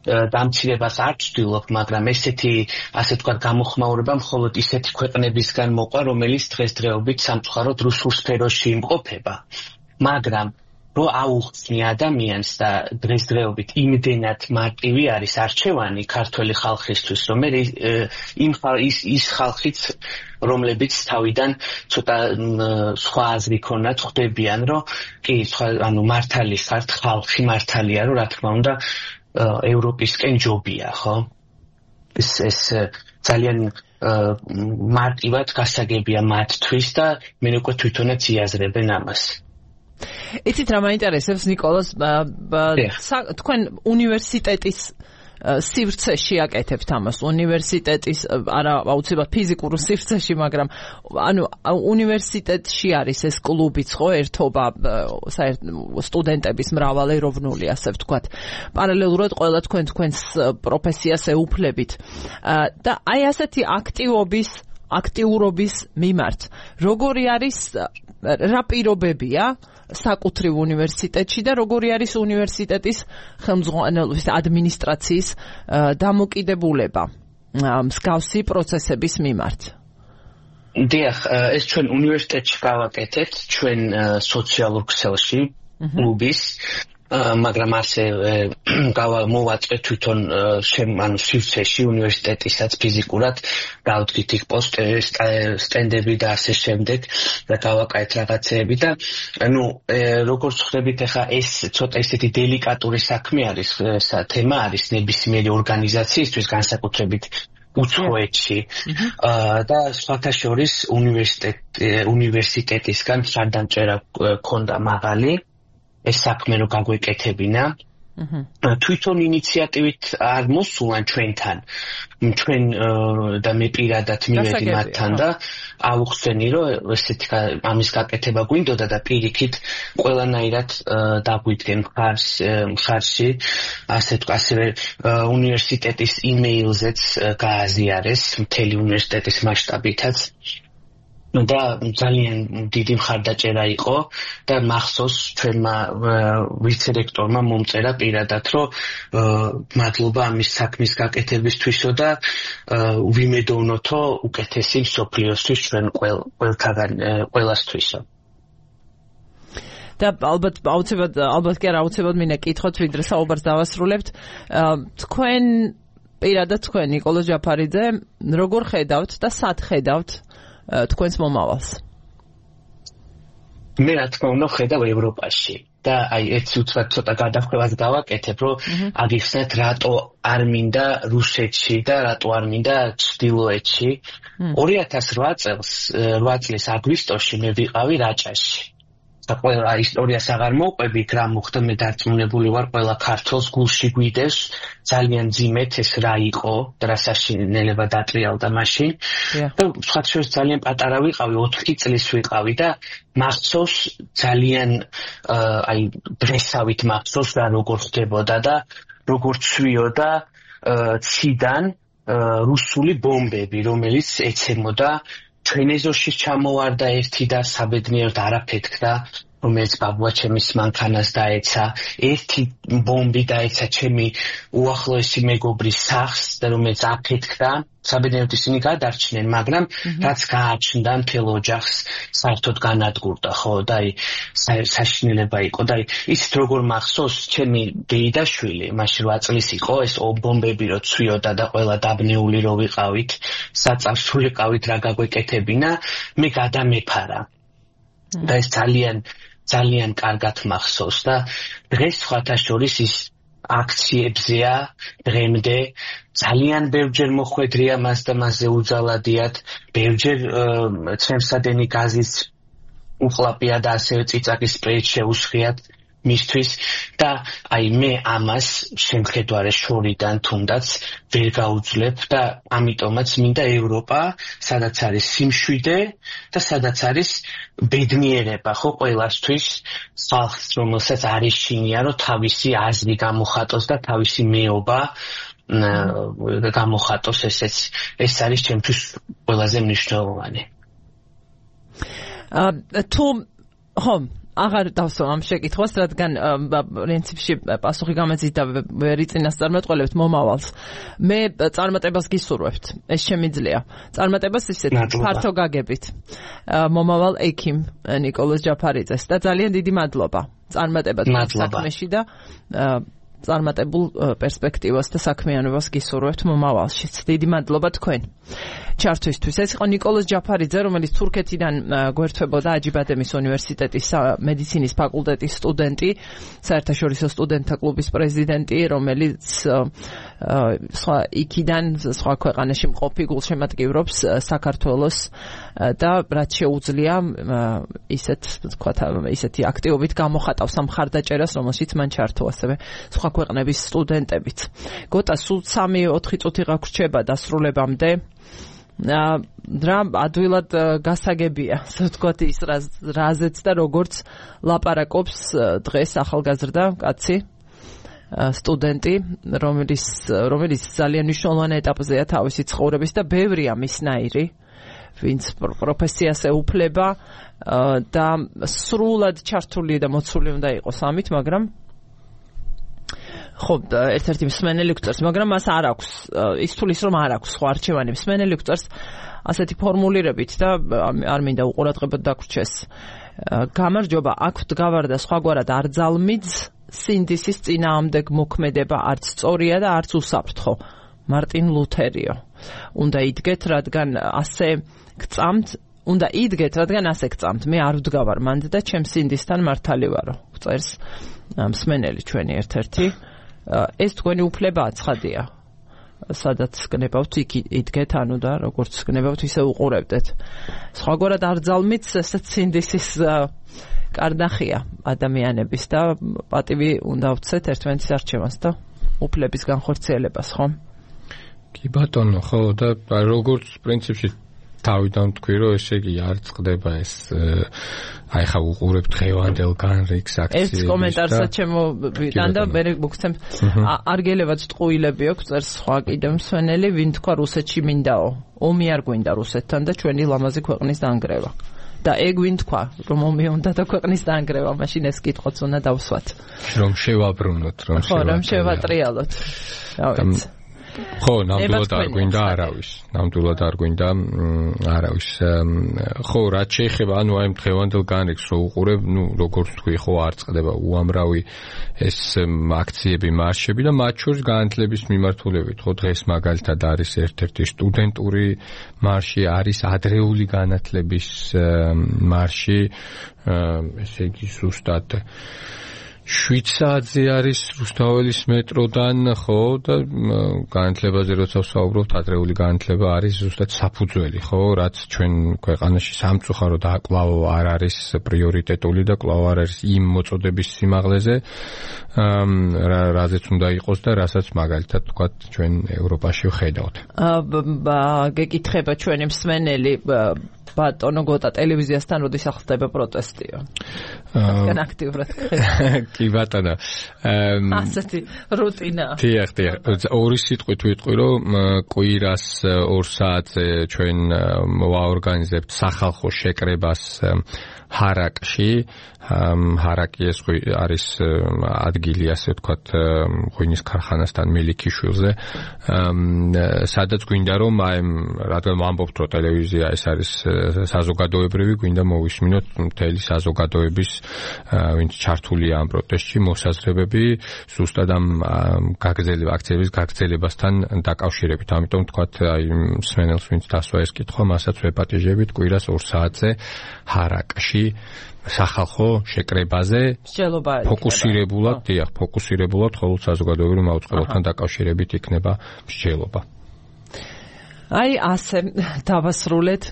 დამცირებას არ ვცდილობ, მაგრამ ესეთი, ასე ვთქვათ, გამოხმაურება მხოლოდ ისეთი ქვეყნებისგან მოყვა, რომელიც დღესდღეობით სამწუხაროდ რუსულ სფეროში იმყოფება. მაგრამ რო აუხსნი ადამიანს და დღესდღეობით იმდენად მარტივი არის არჩევანი ქართველი ხალხისთვის, რომ ის ხალხიც რომლებიც თავიდან ცოტა სხვა აზრი ქონათ ხვდებიან, რომ კი, ანუ მართალი ხართ, ხალხი მართალია, რომ რა თქმა უნდა ევროპისკენ ჯობია, ხო? ეს ძალიან მარტივად გასაგებია მათთვის და მე უკვე თვითონაც იაზრებენ ამას. იცით რა მაინტერესებს ნიკოლოზ, თქვენ უნივერსიტეტის სივრცეში აკეთებთ ამას, უნივერსიტეტის არა აუცილებლად ფიზიკურ სივრცეში, მაგრამ ანუ უნივერსიტეტში არის ეს კლუბიც ხო, ერთობა სტუდენტების მრავალეროვნული, ასე ვთქვათ. პარალელურად ყველა თქვენს პროფესიას ეუფლებით. და აი ასეთი აქტიურობის მიმართ, როგორი არის რა პირობებია საკუთრივ უნივერსიტეტში და როგორი არის უნივერსიტეტის ხელმძღვანელობის ადმინისტრაციის დამოკიდებულება მსგავსი პროცესების მიმართ? დიახ, ეს ჩვენ უნივერსიტეტში გავაკეთეთ, ჩვენ სოციალურ ქსელში, კლუბის, მაგრამ ასე მოვაწყეთ თვითონ ანუ სივრცეში უნივერსიტეტისაც ფიზიკურად გავდგით იქ სტენდები და ასე შემდეგ და გავაკეთეთ რაღაცეები და ანუ როგორც ხვდებით ახლა ეს ცოტა ისეთი დელიკატური საქმე არის, თემა არის ნებისმიერი ორგანიზაციისთვის განსაკუთრებით უცხოეთში და სხვათა შორის უნივერსიტეტისგან მხარდამჭერა ქონდა მაღალი ეს საქმე რო გაგვეკეთებინა თვითონ ინიციატივით არ მოსულან ჩვენთან ჩვენ და მე პირადად მივედი მათთან და აუხსენი რომ ესეთი ამის გაკეთება გვინდოდა და პირიქით ყველანაირად დაგვიდგენ მხარში ასევე უნივერსიტეტის იმეილზეც გააზიარეს მთელი უნივერსიტეტის მასშტაბითაც და ძალიან დიდი მხარდაჭერა იყო და მახსოვს ჩვენმა ვიცე-რექტორმა მომწერა პირადად რომ მადლობა ამის საქმის გაკეთებისთვისო და ვიმედოვნოთო უკეთესი მსოფლიოსთვის ჩვენ ყველასთვისო და ალბათ კი არა აუცილებლად მინდა კითხოთ ვიდრე საუბარს დავასრულებთ თქვენ პირადად თქვენ ნიკოლოზ ჯაფარიძე როგორ ხედავთ და სად ხედავთ თქვენს მომავალს? მე რა თქმა უნდა ხედავ ევროპაში და აი ეს უცბად ცოტა გადახვევას გავაკეთებ, რომ აგიხსნათ რატო არ მინდა რუსეთში და რატო არ მინდა ჩრდილოეთში. 2008 წლის აგვისტოში მე ვიყავი რაჭაში. და ყველა ისტორიას აღარ მოვყვები, რა მოხდა, მე დარწმუნებული ვარ, ყველა ქართველს გულში გვიდევს ძალიან ძიმეთ ეს რა იყო და რა საშინელება დატრიალდა მაშინ. და სხვათა შორის ძალიან პატარა ვიყავი, 4 წლის ვიყავი და მახსოვს ძალიან აი დღესავით მახსოვს რა როგორ ხდებოდა და როგორ ცვიოდა ციდან რუსული ბომბები, რომელიც ეცემოდა ჩვენ ეზოში ჩამოვარდა ერთი და საბედნიეროდ არაფეთქდა რომელიც ბაბუა ჩემის მანქანას დაეცა, ერთი ბომბი დაეცა ჩემი უახლოესი მეგობრის სახლს და რომელიც აფეთქდა, საბედნიეროდ ისინი გადარჩნენ, მაგრამ რაც გააჩნდა მთელ ოჯახს საერთოდ განადგურდა, ხო, და საშინელება იყო და ისეთ როგორ მახსოვს ჩემი დეიდაშვილი, მაშინ 8 წლის იყო, ეს ბომბები რო ცვიოდა და ყველა დაბნეული რო ვიყავით, საწავს ვიყავით რა გაგვეკეთებინა, მე გადამეფარა. და ეს ძალიან კარგად მახსოვს და დღეს სხვათა შორის ის აქციებზეა დღემდე ძალიან ბევრჯერ მოხვედრია მას და მასზე უძალადიათ, ბევრჯერ ცემსადენი გაზის უყლაპია და ასევე წიწაკის სპრეით შეუსხიათ მისთვის და აი მე ამას შემხედარე შორიდან თუნდაც ვერ გაუძლებ და ამიტომაც მინდა ევროპა, სადაც არის სიმშვიდე და სადაც არის ბედნიერება, ხო, ყველასთვის ხალხს, რომელსაც არის შინია, რომ თავისი აზრი გამოხატოს და თავისი მეობა გამოხატოს, ეს არის ჩემთვის ყველაზე მნიშვნელოვანი. თუ ხო აღარ დავსვა ამ შეკითხვას, რადგან პრინციპში პასუხი გამეძით და ვერ იწინასწარმეტყველებთ მომავალს. მე წარმატებას გისურვებთ. ეს შემიძლია. წარმატებას ისეთ ფართო გაგებით. მომავალ ექიმ ნიკოლოზ ჯაფარიძეს და ძალიან დიდი მადლობა. წარმატება საქმეში და წარმატებულ პერსპექტივას და საქმიანობას გისურვებთ მომავალშიც. დიდი მადლობა თქვენ ჩართვისთვის. ეს იყო ნიკოლოზ ჯაფარიძე, რომელიც თურქეთიდან გვერდთვებოდა აჯიბადემის უნივერსიტეტის მედიცინის ფაკულტეტის სტუდენტი, საერთაშორისო სტუდენტთა კლუბის პრეზიდენტი, რომელიც სხვა იქიდან სხვა ქვეყანაში მყოფი გულშემატკივრობს საქართველოს და რაც შეუძლია ისეთი აქტივობით გამოხატავს ამ მხარდაჭერას, რომელშიც მან ჩართო ასევე სხვა ქვეყნების სტუდენტებით. გოტა სულ 3-4 წუთი გაგვრჩება დასრულებამდე. რა ადვილად გასაგებია, ასე ვთქვათ, ის რაზეც და როგორც ლაპარაკობს დღეს ახალგაზრდა კაცი, სტუდენტი, რომელიც ძალიან მნიშვნელოვან ეტაპზეა თავისი ცხოვრების და ბევრია მისნაირი, ვინც პროფესიას ეუფლება და სრულად ჩართული და მოცული უნდა იყოს ამით, მაგრამ ხო, ერთ-ერთი მსმენელი გვწერს, მაგრამ მას არ აქვს, ის თulis რომ არ აქვს სხვა არჩევანი. მსმენელი გვწერს ასეთი ფორმულირებით და არ მინდა უყურადღებოდ დაგვრჩეს. გამარჯობა, აქ დგავარ და სხვაგვარად არ ძალმიძ, სინდისის წინააღმდეგ მოქმედება არც სწორია და არც უსაფრთხო. მარტინ ლუთერიო. უნდა იდგეთ, რადგან ასე გწამთ, მე არ ვდგავარ მანდ და ჩემს სინდისთან მართალი ვარო. წერს მსმენელი ჩვენი ერთ-ერთი. ეს თქვენი უფლებაა, ცხადია. სადაც გნებავთ, იქ იდგეთ, ანუ და როგორც გნებავთ, ისე უყურებდეთ. სხვაგვარად არ ძალმით, ესეც სინდისის კარნახია ადამიანების და პატივი უნდა ვცეთ ერთმანეთის არჩევანს და უფლების განხორციელებას, ხო? კი ბატონო, ხო, და როგორც პრინციპში თავიდან თქვი, რომ ესე იგი არ წყდება ეს აი ხა უყურებ დღევანდელ განრიგს აქციებს. ეს კომენტარსაც ჩემოვიდან და მე მოგცემ არგელებად ტყუილები აქვს, წერს სხვა კიდევ მსვენელი, ვინ თქვა რუსეთში მინდაო. ომი არ გვინდა რუსეთთან და ჩვენი ლამაზი ქვეყნის დაანგრევა. და ეგ ვინ თქვა, რომ ომი უნდა და ქვეყნის დაანგრევა, მაშინ ეს კითხვაც უნდა დავსვათ. რომ შევაბრუნოთ, რომ შევატრიალოთ. რა ვიცი. ხო, ნამდვილად არ გვინდა არავის. ხო, რაც შეეხება, ანუ აი დღევანდელ განრიგს რო უყურებ, როგორც თქვი, ხო, არ წყდება უამრავი ეს აქციები, მარშები და მათ შორის განათლების მიმართულებით, ხო, დღეს მაგალითად არის ერთ-ერთი სტუდენტური მარში, არის ადრეული განათლების მარში, ესე იგი ზუსტად 7 საათზე არის რუსთაველის მეტროდან, ხო, და განათლებაზე როცა ვსაუბრობთ, ადრეული განათლება არის ზუსტად საფუძველი, ხო, რაც ჩვენ ქვეყანაში სამწუხაროდ კვლავ არ არის პრიორიტეტული და კვლავ არ არის იმ მოწოდების სიმაღლეზე, რაზეც უნდა იყოს და რასაც მაგალითად თქვათ ჩვენ ევროპაში ვხედავთ. გეკითხება ჩვენი მსმენელი ბატონო გოტა ტელევიზიასთან როდის ახდება პროტესტიო? რადგან აქტიურად კი ბატონო. ასეთი რუტინა. დიახ. ორი სიტყვით ვიტყვი, რომ კვირას 2 საათზე ჩვენ ვაორგანიზებთ სახალხო შეკრებას ჰარაკში. ჰარაკი ეს არის ადგილი, ასე ვთქვათ, ღვინის ქარხანასთან მელიქიშვილზე. სადაც გვინდა რომ რადგან ვამბობთ რომ ტელევიზია ეს არის საზოგადოებრივი, გვინდა მოვისმინოთ მთელი საზოგადოების ვინც ჩართულია ამ პროტესტში მოსაზრებები ზუსტად ამ აქციების გაგრძელებასთან დაკავშირებით. ამიტომ ვთქვათ აი მსმენელს ვინც დასვა ეს კითხვა, მასაც ვეპატიჟებით კვირას 2 საათზე ჰარაკში სახალხო შეკრებაზე ფოკუსირებულად ხოლმე საზოგადოებრივ მაუწყებელთან დაკავშირებით იქნება მსჯელობა. აი ასე დავასრულეთ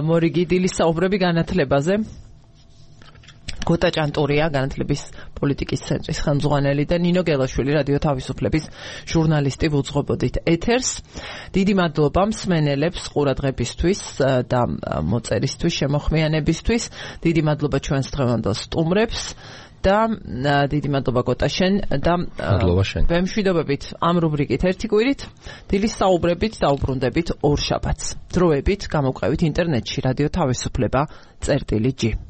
მორიგი დილის საუბრები განათლებაზე. გოტა ჭანტურია, განათლების პოლიტიკის ცენტრის ხელმძღვანელი და ნინო გელაშვილი, რადიო თავისუფლების ჟურნალისტი ვუძღვებოდით ეთერს. დიდი მადლობა მსმენელებს ყურადღებისთვის და მოწერისთვის, შემოხმიანებისთვის. დიდი მადლობა ჩვენს დღევანდელ სტუმრებს და დიდი მადლობა გოტა შენ და მადლობა შენ. ვემშვიდობებით ამ რუბრიკით ერთი კვირით, დილის საუბრებით დაუბრუნდებით ორ შაბათს. დროებით გამოგვყევით ინტერნეტში რადიო თავისუფლება წერტილი G.